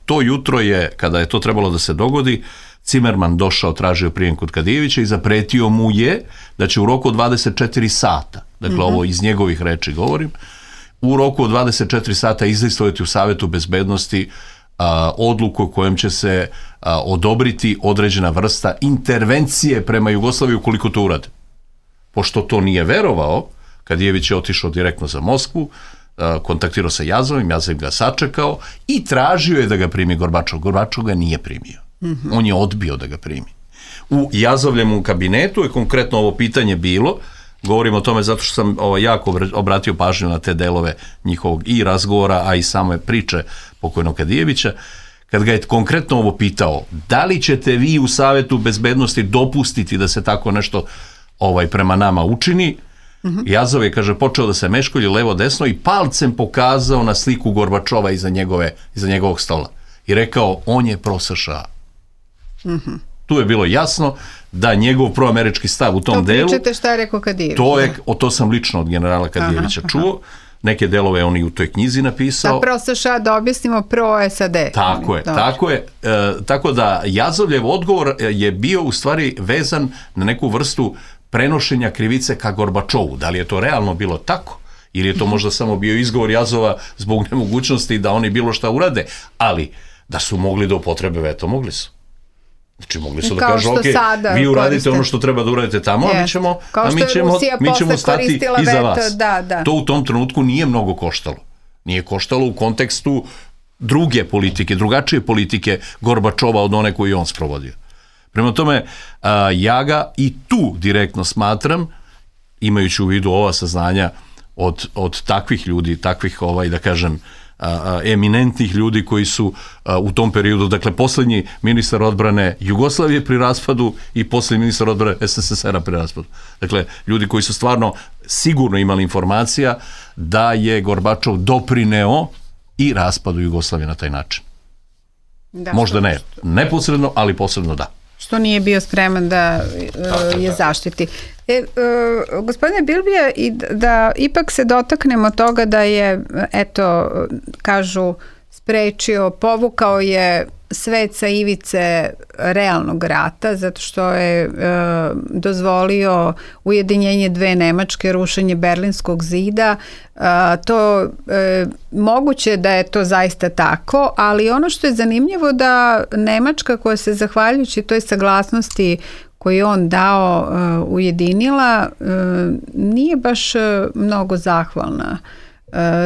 to jutro je, kada je to trebalo da se dogodi, Cimerman došao, tražio prijem kod Kadijevića i zapretio mu je da će u roku od 24 sata, dakle ovo iz njegovih reči govorim, u roku od 24 sata izlistovati u Savetu bezbednosti odluku kojom će se odobriti određena vrsta intervencije prema Jugoslaviji ukoliko to urade. Pošto to nije verovao, Kadijević je otišao direktno za Moskvu, kontaktirao sa Jazovim, Jazov ga sačekao i tražio je da ga primi Gorbačov. Gorbačov ga nije primio. On je odbio da ga primi. U Jazovljevom kabinetu je konkretno ovo pitanje bilo, govorim o tome zato što sam jako obratio pažnju na te delove njihovog i razgovora, a i same priče pokojnog Kadijevića, kad ga je konkretno ovo pitao, da li ćete vi u Savetu bezbednosti dopustiti da se tako nešto prema nama učini, Jazov je, kaže, počeo da se meškolji levo desno i palcem pokazao na sliku Gorbačova iza njegovog stola i rekao, on je pro-США. Tu je bilo jasno da njegov proamerički stav u tom delu...
To pričate šta je rekao Kadijević.
To sam lično od generala Kadijevića čuo. Neke delove on i u toj knjizi napisao.
A pro-США da objasnimo pro-SAD.
Tako je. Tako da Jazovljev odgovor je bio u stvari vezan na neku vrstu prenošenja krivice ka Gorbačovu. Da li je to realno bilo tako? Ili je to možda samo bio izgovor Jazova zbog nemogućnosti da oni bilo šta urade? Ali da su mogli da upotrebe veto, mogli su. Znači, mogli su da kažu, ok, vi uradite ono što treba da uradite tamo, a mi ćemo stati iza vas. To u tom trenutku nije mnogo koštalo. Nije koštalo u kontekstu druge politike, drugačije politike Gorbačova od one koju on sprovodio. Prema tome, ja ga i tu direktno smatram, imajući u vidu ova saznanja od takvih ljudi, takvih, da kažem, eminentnih ljudi koji su u tom periodu, dakle, poslednji ministar odbrane Jugoslavije pri raspadu i poslednji ministar odbrane SSSR-a pri raspadu. Dakle, ljudi koji su stvarno sigurno imali informacija da je Gorbačov doprineo i raspadu Jugoslavije na taj način. Možda ne neposredno, ali posredno da.
Što nije bio spreman da je zaštiti. Gospodine Bilbija, da ipak se dotaknemo toga da je, eto, kažu, sprečio, povukao je svet sa ivice realnog rata, zato što je dozvolio ujedinjenje dve Nemačke, rušenje Berlinskog zida. To moguće da je to zaista tako, ali ono što je zanimljivo da Nemačka, koja se zahvaljujući toj saglasnosti koju je on dao, ujedinila, nije baš mnogo zahvalna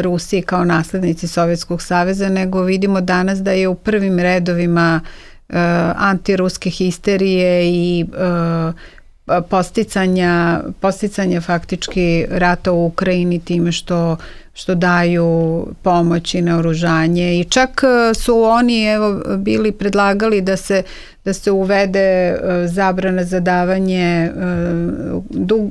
Rusiji kao naslednici Sovjetskog saveza, nego vidimo danas da je u prvim redovima antiruske histerije i posticanja faktički rata u Ukrajini time što daju pomoć i naoružanje, i čak su oni bili predlagali da se uvede zabrana za davanje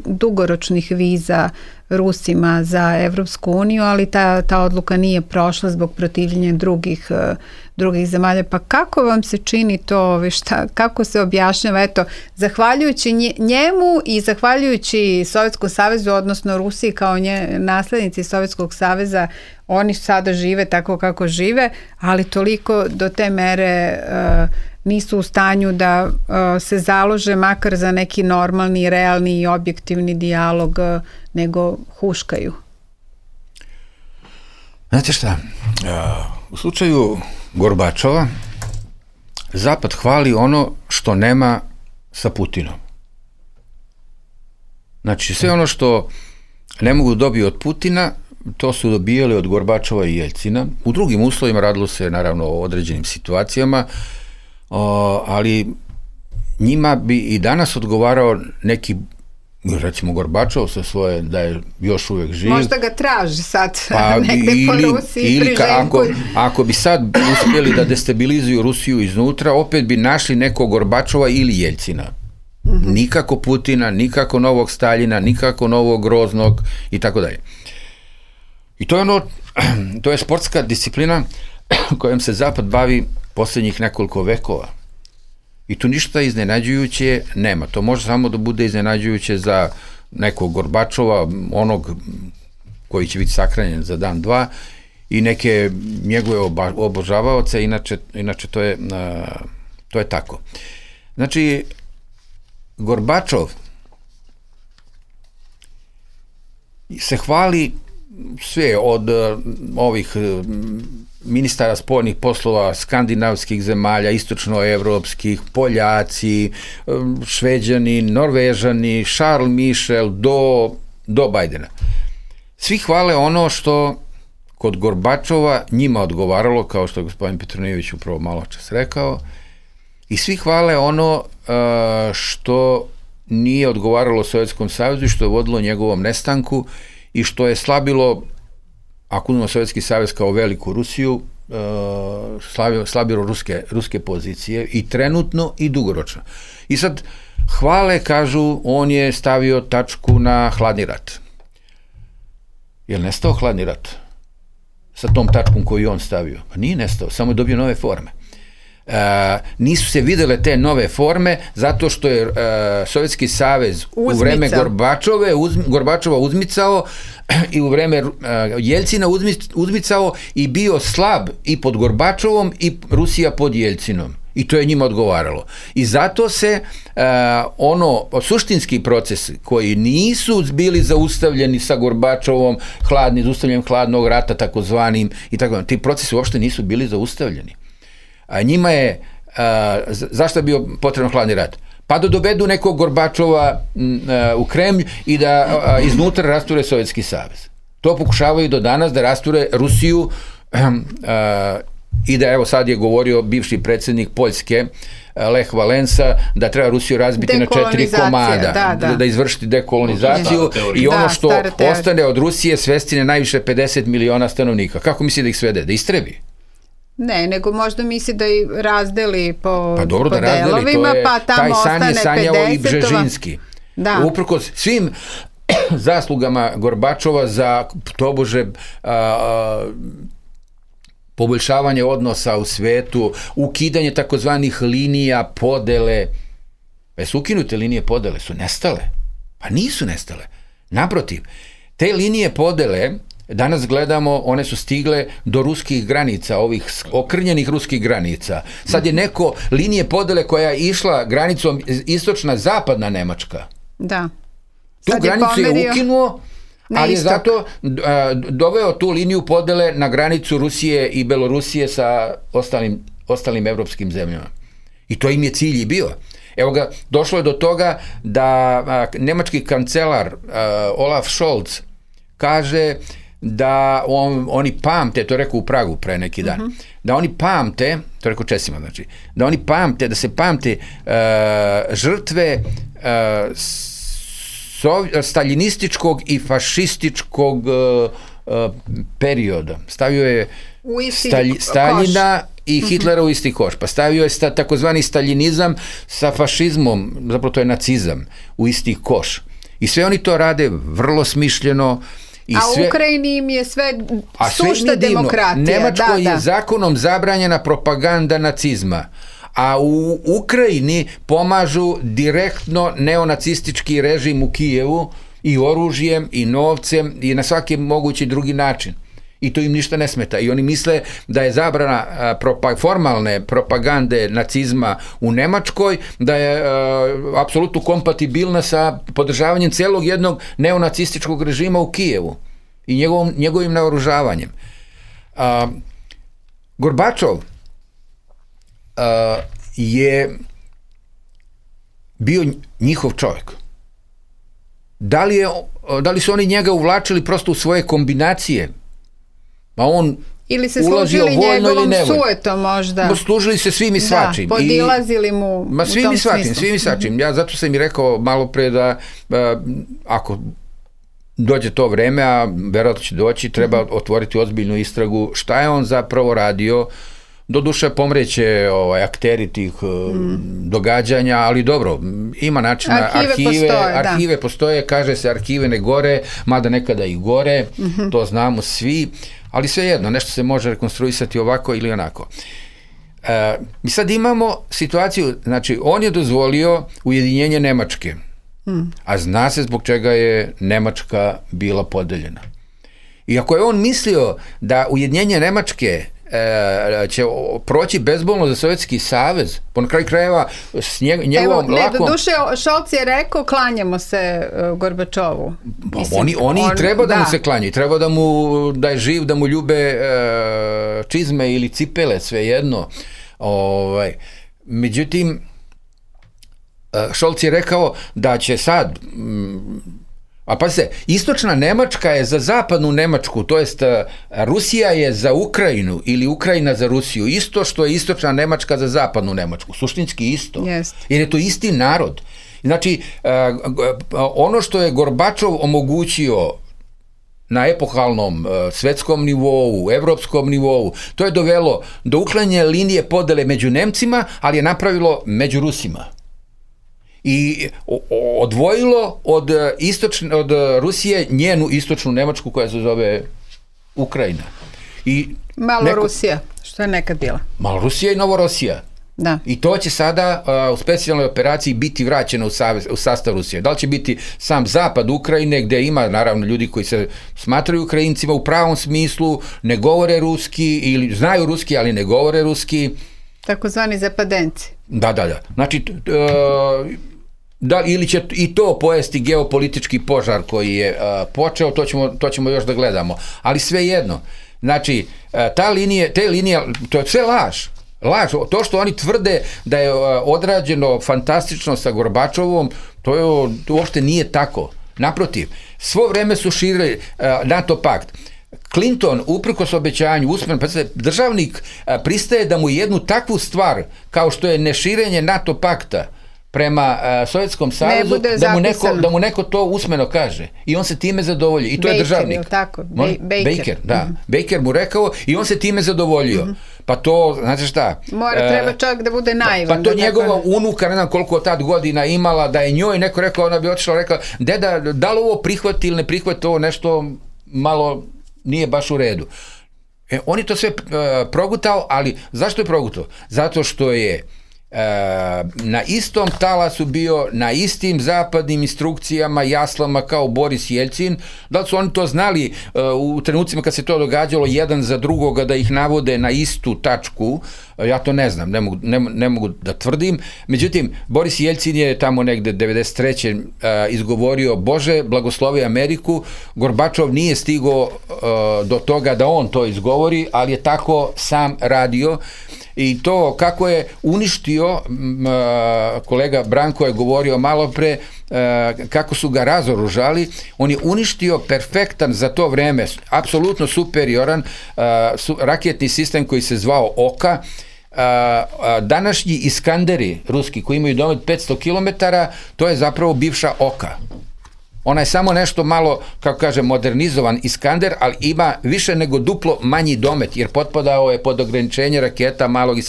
dugoročnih viza Rusima za Evropsku uniju, ali ta odluka nije prošla zbog protivljenja drugih zemalja. Pa kako vam se čini to, kako se objašnjava, eto, zahvaljujući njemu i zahvaljujući Sovjetskom savezu, odnosno Rusiji kao naslednici Sovjetskog saveza, oni sada žive tako kako žive, ali toliko do te mere nisu u stanju da se založe makar za neki normalni, realni i objektivni dijalog, nego huškaju.
Znate šta, u slučaju Gorbačova Zapad hvali ono što nema sa Putinom. Znači, sve ono što ne mogu dobiti od Putina, to su dobijali od Gorbačova i Jeljcina. U drugim uslovima radilo se naravno o određenim situacijama, ali njima bi i danas odgovarao neki, recimo Gorbačov sa svoje, da je još uvek živ.
Možda ga traži sad negde po Rusiji priženku.
Ako bi sad uspjeli da destabilizuju Rusiju iznutra, opet bi našli nekog Gorbačova ili Jeljcina. Nikako Putina, nikako novog Staljina, nikako novog Groznog i tako dalje. I to je sportska disciplina kojom se Zapad bavi posljednjih nekoliko vekova. I tu ništa iznenađujuće nema. To može samo da bude iznenađujuće za nekog Gorbačova, onog koji će biti sakranjen za dan, dva, i neke njegove obožavaoce, inače to je tako. Znači, Gorbačov se hvali sve od ovih ministara spoljnih poslova skandinavskih zemalja, istočnoevropskih, Poljaci, Šveđani, Norvežani, Charles Michel do Bajdena. Svi hvale ono što kod Gorbačova njima odgovaralo, kao što je gospodin Petronijević upravo malo čas rekao, i svi hvale ono što nije odgovaralo Sovjetskom savezu i što je vodilo njegovom nestanku i što je slabilo, ako uzmemo Sovjetski savez kao veliku Rusiju, slabilo ruske pozicije i trenutno i dugoročno. I sad hvale, kažu, on je stavio tačku na hladni rat. Je li nestao hladni rat sa tom tačkom koju je on stavio? Pa nije nestao, samo je dobio nove forme. Nisu se videle te nove forme zato što je Sovjetski savez u vreme Gorbačova uzmicao i u vreme Jeljcina uzmicao i bio slab i pod Gorbačovom i Rusija pod Jeljcinom. I to je njima odgovaralo. I zato se suštinski procesi koji nisu bili zaustavljeni sa Gorbačovom, zaustavljanjem hladnog rata takozvanim i tako, ti procesi uopšte nisu bili zaustavljeni. A njima je, zašto je bio potreban hladni rat? Pa da dovedu nekog Gorbačova u Kremlj i da iznutra rasture Sovjetski savez. To pokušavaju do danas da rasture Rusiju i da, evo sad je govorio bivši predsjednik Poljske Lech Valensa da treba Rusiju razbiti na 4 komada, da izvršiti dekolonizaciju i ono što ostane od Rusije svesti na najviše 50 miliona stanovnika. Kako misli da ih svede? Da istrebi?
Ne, nego možda misli da ih razdeli po
da
delovima, pa tamo ostane 50.
Taj san je sanjao i Bžežinski. Uprkos svim zaslugama Gorbačova za tobože poboljšavanje odnosa u svetu, ukidanje takozvanih linija podele. Su ukinute linije podele? Su nestale? Pa nisu nestale. Naprotiv, te linije podele danas gledamo, one su stigle do ruskih granica, ovih okrnjenih ruskih granica. Sad je neko linije podele koja je išla granicom istočna zapadna Nemačka.
Da.
Tu granicu je ukinuo, ali je zato doveo tu liniju podele na granicu Rusije i Belorusije sa ostalim evropskim zemljama. I to im je cilj i bio. Evo ga, došlo je do toga da nemački kancelar Olaf Scholz kaže da oni pamte, to je rekao u Pragu pre neki dan, da oni pamte, to je rekao Česima, znači, da oni pamte, da se pamte žrtve staljinističkog i fašističkog perioda. Stavio je Staljina i Hitlera u isti koš. Pa stavio je takozvani staljinizam sa fašizmom, zapravo to je nacizam, u isti koš. I sve oni to rade vrlo smišljeno.
U Ukrajini im je sve sušta demokratija.
Nemačkoj je zakonom zabranjena propaganda nacizma. A u Ukrajini pomažu direktno neonacistički režim u Kijevu i oružjem i novcem i na svaki mogući drugi način. I to im ništa ne smeta. I oni misle da je zabrana formalne propagande nacizma u Nemačkoj, da je apsolutno kompatibilna sa podržavanjem celog jednog neonacističkog režima u Kijevu i njegovim naoružavanjem. Gorbačov je bio njihov čovjek. Da li su oni njega uvlačili prosto u svoje kombinacije? Pa on
ili se služili njegovom suetom možda.
Služili se svim i svačim.
Podilazili mu u tom smislu.
Svim i svačim. Ja zato sam i rekao malo pre da ako dođe to vreme, a verovatno će doći, treba otvoriti ozbiljnu istragu šta je on zapravo radio. Doduše pomreće akteri tih događanja, ali dobro, ima načina, arhive postoje, kaže se arhive ne gore, mada nekada i gore, to znamo svi, ali svejedno, nešto se može rekonstruisati ovako ili onako. Mi sad imamo situaciju, znači on je dozvolio ujedinjenje Nemačke, a zna se zbog čega je Nemačka bila podeljena. I ako je on mislio da ujedinjenje Nemačke će proći bezbolno za Sovjetski savez, po kraju krajeva s njegovom lakom...
Doduše, Scholz je rekao, klanjamo se Gorbačovu.
Oni treba da mu se klanjaju, treba da je živ, da mu ljube čizme ili cipele, svejedno. Međutim, Scholz je rekao da će sad A pa se, istočna Nemačka je za zapadnu Nemačku, to jest Rusija je za Ukrajinu ili Ukrajina za Rusiju, isto što je istočna Nemačka za zapadnu Nemačku, suštinski isto, jer je to isti narod. Znači, ono što je Gorbačov omogućio na epohalnom svetskom nivou, evropskom nivou, to je dovelo do uklanjanja linije podele među Nemcima, ali je napravilo među Rusima. I odvojilo od Rusije njenu istočnu Nemačku koja se zove Ukrajina.
Rusija, što je nekad bila.
Malo Rusija i Novorosija.
Da.
I to će sada u specijalnoj operaciji biti vraćeno u sastav Rusije. Da li će biti sam zapad Ukrajine, gde ima naravno ljudi koji se smatraju Ukrajincima u pravom smislu, ne govore ruski ili znaju ruski, ali ne govore ruski.
Takozvani zapadenci.
Da. Znači, ili će i to pojesti geopolitički požar koji je počeo, to ćemo još da gledamo. Ali svejedno, znači, te linije, to je sve laž. To što oni tvrde da je odrađeno fantastično sa Gorbačovom, to uopšte nije tako. Naprotiv, svo vreme su širili NATO pakt. Clinton, uprkos obećanju, državnik pristaje da mu jednu takvu stvar, kao što je neširenje NATO pakta prema Sovjetskom savezu, da mu neko to usmeno kaže. I on se time zadovolji. I to je državnik. Baker, da. Baker mu rekao i on se time zadovoljio. Pa to, znate šta?
Treba čovjek da bude naivan.
Pa to njegova unuka, ne znam koliko tad godina imala, da je njoj neko rekao, ona bi otišla, rekla, deda, da li ovo prihvati ili ne prihvati, ovo nešto malo nije baš u redu. On je to sve progutao, ali zašto je progutao? Zato što je na istom talasu bio, na istim zapadnim instrukcijama, jaslama kao Boris Jeljcin. Da li su oni to znali u trenucima kad se to događalo jedan za drugoga da ih navode na istu tačku? Ja to ne znam, ne mogu da tvrdim. Međutim, Boris Jeljcin je tamo negde 93. Izgovorio Bože, blagoslovi Ameriku. Gorbačov nije stigao do toga da on to izgovori, ali je tako sam radio. I to kako je uništio, kolega Branko je govorio malo pre, kako su ga razoružali, on je uništio perfektan za to vreme, apsolutno superioran raketni sistem koji se zvao Oka. Današnji Iskanderi ruski koji imaju domet 500 km, to je zapravo bivša Oka. Ona je samo nešto malo, kako kaže, modernizovan Iskander, ali ima više nego duplo manji domet, jer potpadao je pod ograničenje raketa malog i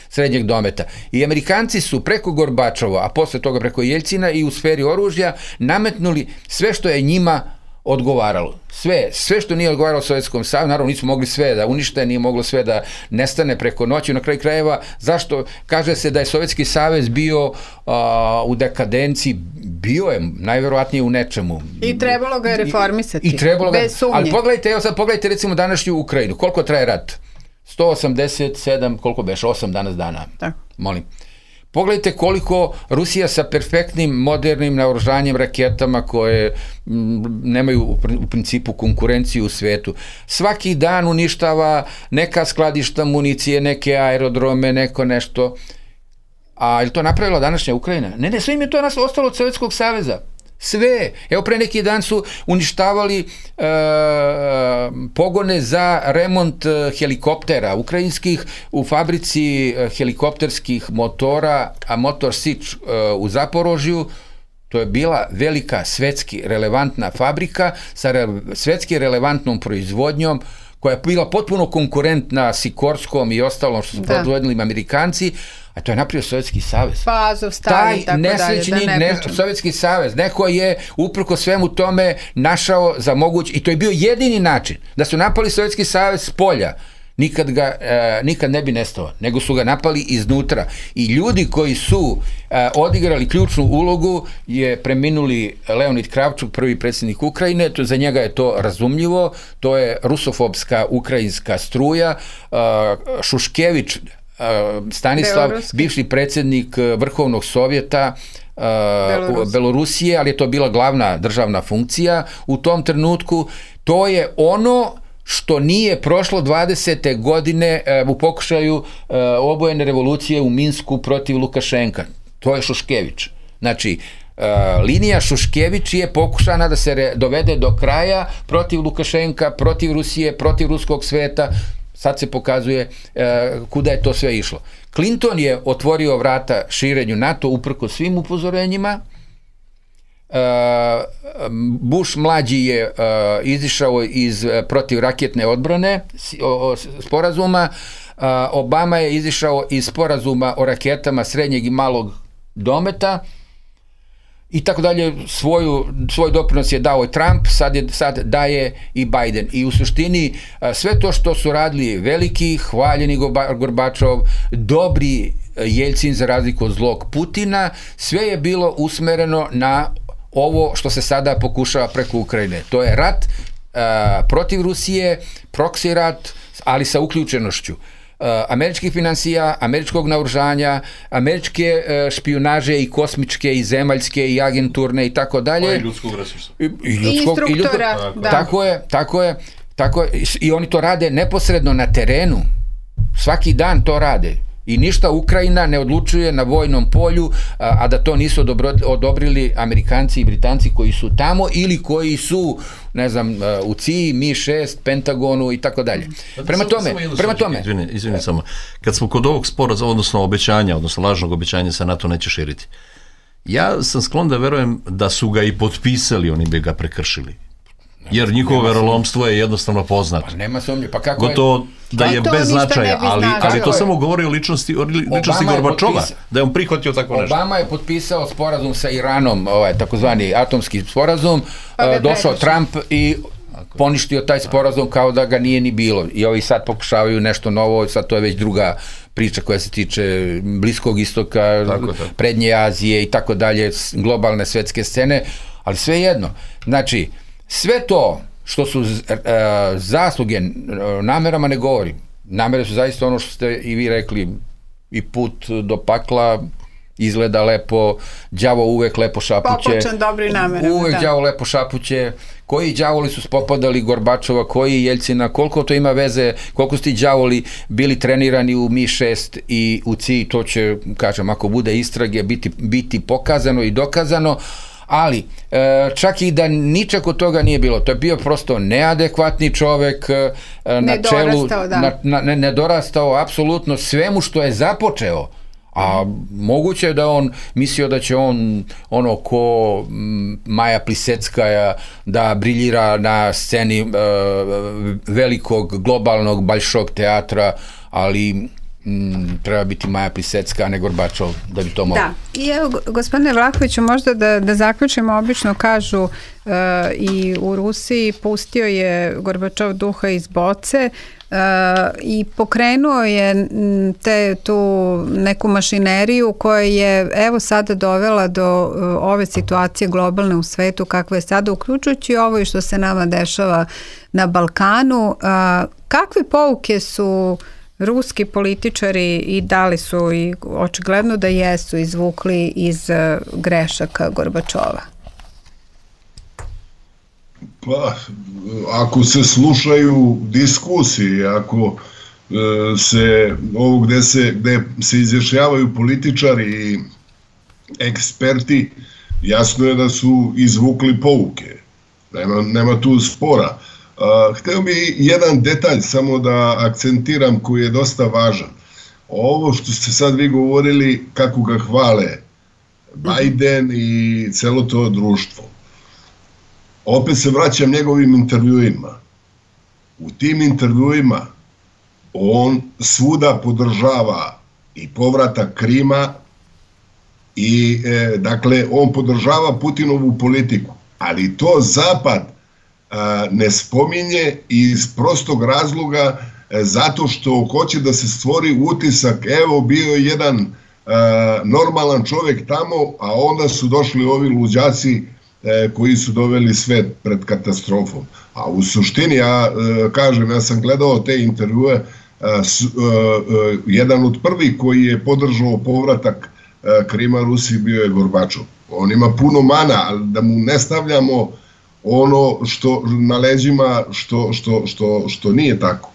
srednjeg dometa. I Amerikanci su preko Gorbačova, a posle toga preko Jeljcina i u sferi oružja nametnuli sve što je njima odgovaralo. Sve što nije odgovaralo Sovjetskom savezu, naravno nisu mogli sve da unište, nije moglo sve da nestane preko noći. Na kraju krajeva, zašto? Kaže se da je Sovjetski savez bio u dekadenciji, bio je najverovatnije u nečemu.
I trebalo ga je reformisati, bez sumnje.
Ali pogledajte recimo današnju Ukrajinu, koliko traje rat? 187, koliko beš, 8 danas dana.
Tako.
Molim. Pogledajte koliko Rusija sa perfektnim, modernim naoružanjem, raketama koje nemaju u principu konkurenciju u svetu. Svaki dan uništava neka skladišta municije, neke aerodrome, neko nešto. A je li to napravila današnja Ukrajina? Ne, sve im je to ostalo od Sovjetskog saveza. Sve. Evo pre neki dan su uništavali pogone za remont helikoptera ukrajinskih u fabrici helikopterskih motora, a Motor Sič u Zaporožju. To je bila velika svetski relevantna fabrika sa svetski relevantnom proizvodnjom koja je bila potpuno konkurentna Sikorskom i ostalom što su proizvodili Amerikanci, a to je napravio Sovjetski savez.
Pa Azovstal i tako dalje. Taj nesrećni
Sovjetski savez, neko je uprko svemu tome našao za moguć, i to je bio jedini način da su napali Sovjetski savez s polja. Nikad ne bi nestao, nego su ga napali iznutra. I ljudi koji su odigrali ključnu ulogu je preminuli Leonid Kravčuk, prvi predsjednik Ukrajine, za njega je to razumljivo, to je rusofobska ukrajinska struja, Šuškević, Stanislav, bivši predsjednik Vrhovnog sovjeta Belorusije, ali je to bila glavna državna funkcija u tom trenutku. To je ono što nije prošlo 20. godine u pokušaju obojene revolucije u Minsku protiv Lukašenka. To je Šuškević. Znači, linija Šuškević je pokušana da se dovede do kraja protiv Lukašenka, protiv Rusije, protiv ruskog sveta. Sad se pokazuje kuda je to sve išlo. Clinton je otvorio vrata širenju NATO uprkos svim upozorenjima. Bush mlađi je izišao iz protivraketne odbrane sporazuma. Obama je izišao iz sporazuma o raketama srednjeg i malog dometa i tako dalje. Svoj doprinos je dao i Trump, sad daje i Biden. I u suštini sve to što su radili veliki, hvaljeni Gorbačov, dobri Jeljcin za razliku od zlog Putina, sve je bilo usmereno na ovo što se sada pokušava preko Ukrajine. To je rat protiv Rusije, proksi rat, ali sa uključenošću američkih finansija, američkog naoružanja, američke špijunaže i kosmičke i zemaljske i agenturne i tako dalje.
I ljudskog resursa.
I instruktora.
Tako je. I oni to rade neposredno na terenu. Svaki dan to rade. I ništa Ukrajina ne odlučuje na vojnom polju, a da to nisu odobrili Amerikanci i Britanci koji su tamo ili koji su, ne znam, u CIA, Mi-6, Pentagonu i tako dalje. Prema tome...
Izvini samo. Kad smo kod ovog sporazuma, odnosno obećanja, odnosno lažnog obećanja se NATO neće širiti, ja sam sklon da verujem da su ga i potpisali, oni bi ga prekršili. Jer njihovo verolomstvo je jednostavno poznato.
Pa nema sumnje, pa kako
gotovo da je bez značaja, ali to samo govori o ličnosti Gorbačova, da je on prihvatio tako nešto.
Obama je potpisao sporazum sa Iranom, takozvani atomski sporazum, došao Trump i poništio taj sporazum kao da ga nije ni bilo. I ovi sad pokušavaju nešto novo, sad to je već druga priča koja se tiče Bliskog istoka, Prednje Azije i tako dalje, globalne svetske scene, ali sve jedno. Znači, sve to što su zasluge, namerama ne govorim. Namere su zaista ono što ste i vi rekli, i put do pakla izgleda lepo, đavo uvek lepo šapuće.
Popočan dobri namerama.
Uvek đavo lepo šapuće. Koji đavoli su spopadali Gorbačova, koji Jeljcina, koliko to ima veze, koliko su ti đavoli bili trenirani u Mi-6 i u CIA, to će, kažem, ako bude istrage, biti pokazano i dokazano. Ali, čak i da ničak od toga nije bilo, to je bio prosto neadekvatni čovek, nedorastao apsolutno svemu što je započeo, a moguće je da on mislio da će on ono ko Maja Pliseckaja da briljira na sceni velikog globalnog Balšog teatra, ali treba biti Maja Plisecka, a ne Gorbačov, da bi to moglo.
Da, i evo, gospodine Vlahoviću, možda da zaključimo, obično kažu i u Rusiji pustio je Gorbačov duha iz boce i pokrenuo je tu neku mašineriju koja je evo sada dovela do ove situacije globalne u svetu kakva je sada, uključujući ovo i što se nama dešava na Balkanu. Kakve pouke su ruski političari i da li su, i očigledno da jesu, izvukli iz grešaka Gorbačova?
Pa, ako se slušaju diskusije, ako se ovo gde se izjašnjavaju političari i eksperti, jasno je da su izvukli pouke. Nema tu spora. Hteo bi jedan detalj samo da akcentiram koji je dosta važan. Ovo što ste sad vi govorili, kako ga hvale Biden i celo to društvo. Opet se vraćam njegovim intervjuima. U tim intervjuima on svuda podržava i povratak Krima i dakle on podržava Putinovu politiku, ali to Zapad ne spominje iz prostog razloga zato što hoće da se stvori utisak, evo bio je jedan normalan čovjek tamo, a onda su došli ovi luđaci koji su doveli svet pred katastrofom. A u suštini, ja sam gledao te intervjue, jedan od prvih koji je podržao povratak Krima Rusiji bio je Gorbačov. On ima puno mana, ali da mu ne stavljamo ono što na leđima što nije tako.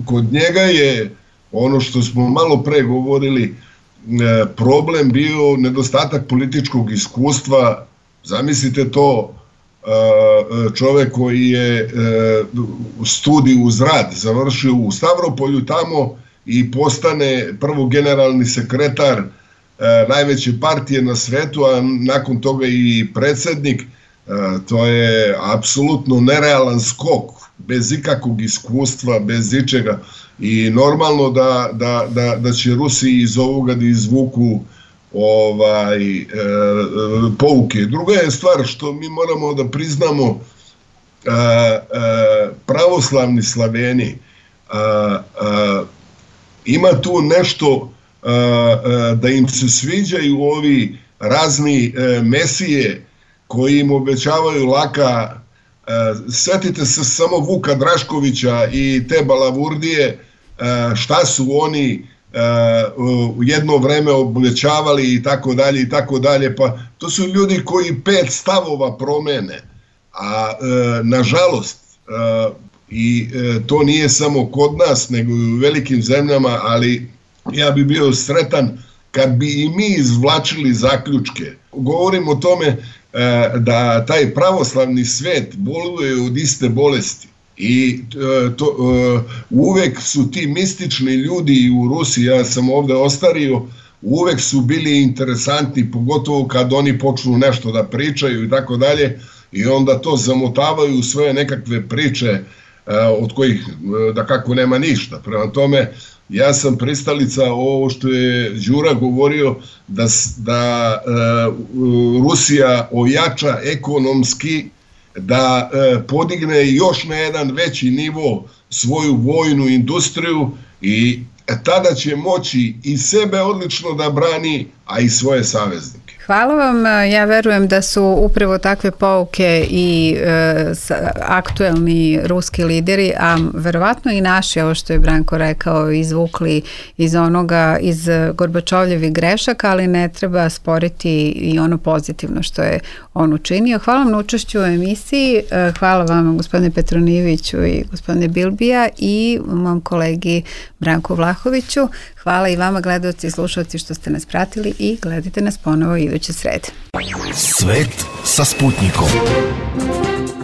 Kod njega je ono što smo malo pre govorili, problem bio nedostatak političkog iskustva. Zamislite to, čovek koji je studij uz rad završio u Stavropolju tamo i postane prvo generalni sekretar najveće partije na svetu, a nakon toga i predsednik. To je apsolutno nerealan skok, bez ikakvog iskustva, bez ičega. I normalno da će Rusi iz ovoga da izvuku pouke. Druga je stvar što mi moramo da priznamo, pravoslavni Slaveni, ima tu nešto da im se sviđaju ovi razni mesije koji im obećavaju laka. Setite se samo Vuka Draškovića i te balavurdije, šta su oni u jedno vreme obećavali i tako dalje, pa to su ljudi koji 5 stavova promene, a nažalost, i to nije samo kod nas, nego i u velikim zemljama, ali ja bi bio sretan kad bi i mi izvlačili zaključke. Govorim o tome da taj pravoslavni svet boluje od iste bolesti i uvek su ti mistični ljudi u Rusiji, ja sam ovde ostario, uvek su bili interesantni, pogotovo kad oni počnu nešto da pričaju i tako dalje, i onda to zamotavaju u svoje nekakve priče od kojih da kako nema ništa. Prema tome, ja sam pristalica ovo što je Đura govorio, da Rusija ojača ekonomski, da podigne još na jedan veći nivo svoju vojnu industriju i tada će moći i sebe odlično da brani, a i svoje saveznike.
Hvala vam. Ja verujem da su upravo takve pouke i aktuelni ruski lideri, a verovatno i naši, ovo što je Branko rekao, izvukli iz Gorbačovljevih grešaka, ali ne treba sporiti i ono pozitivno što je on učinio. Hvala vam na učešću u emisiji. Hvala vam, gospodine Petronijeviću i gospodine Bilbija, i mom kolegi Branku Vlahoviću. Hvala i vama, gledaoci i slušalci, što ste nas pratili, i gledajte nas ponovo iduće srede.
Svet sa Sputnikom.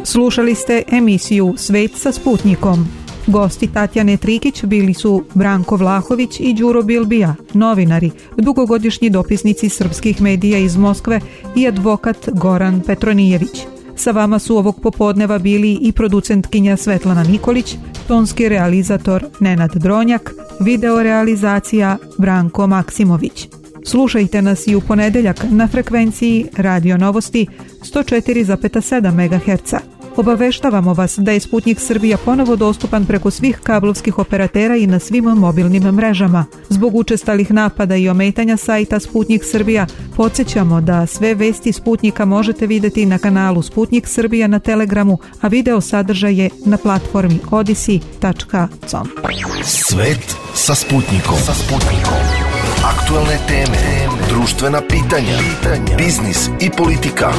Slušali ste emisiju Svet sa Sputnikom. Gosti Tatjane Trikić bili su Branko Vlahović i Đuro Bilbija, novinari, dugogodišnji dopisnici srpskih medija iz Moskve, i advokat Goran Petronijević. Sa vama su ovog popodneva bili i producentkinja Svetlana Nikolić, tonski realizator Nenad Dronjak, video realizacija Branko Maksimović. Slušajte nas i u ponedeljak na frekvenciji Radio Novosti 104,7 MHz. Obaveštavamo vas da je Sputnik Srbija ponovo dostupan preko svih kablovskih operatera i na svim mobilnim mrežama. Zbog učestalih napada i ometanja sajta Sputnik Srbija, podsjećamo da sve vesti Sputnika možete vidjeti na kanalu Sputnik Srbija na Telegramu, a video sadržaje na platformi odisi.com.
Svet sa Sputnikom. Aktualne teme, društvena pitanja, biznis i politika.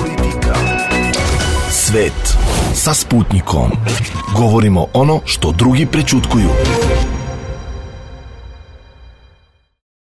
Svet sa Sputnikom. Govorimo ono što drugi prećutkuju.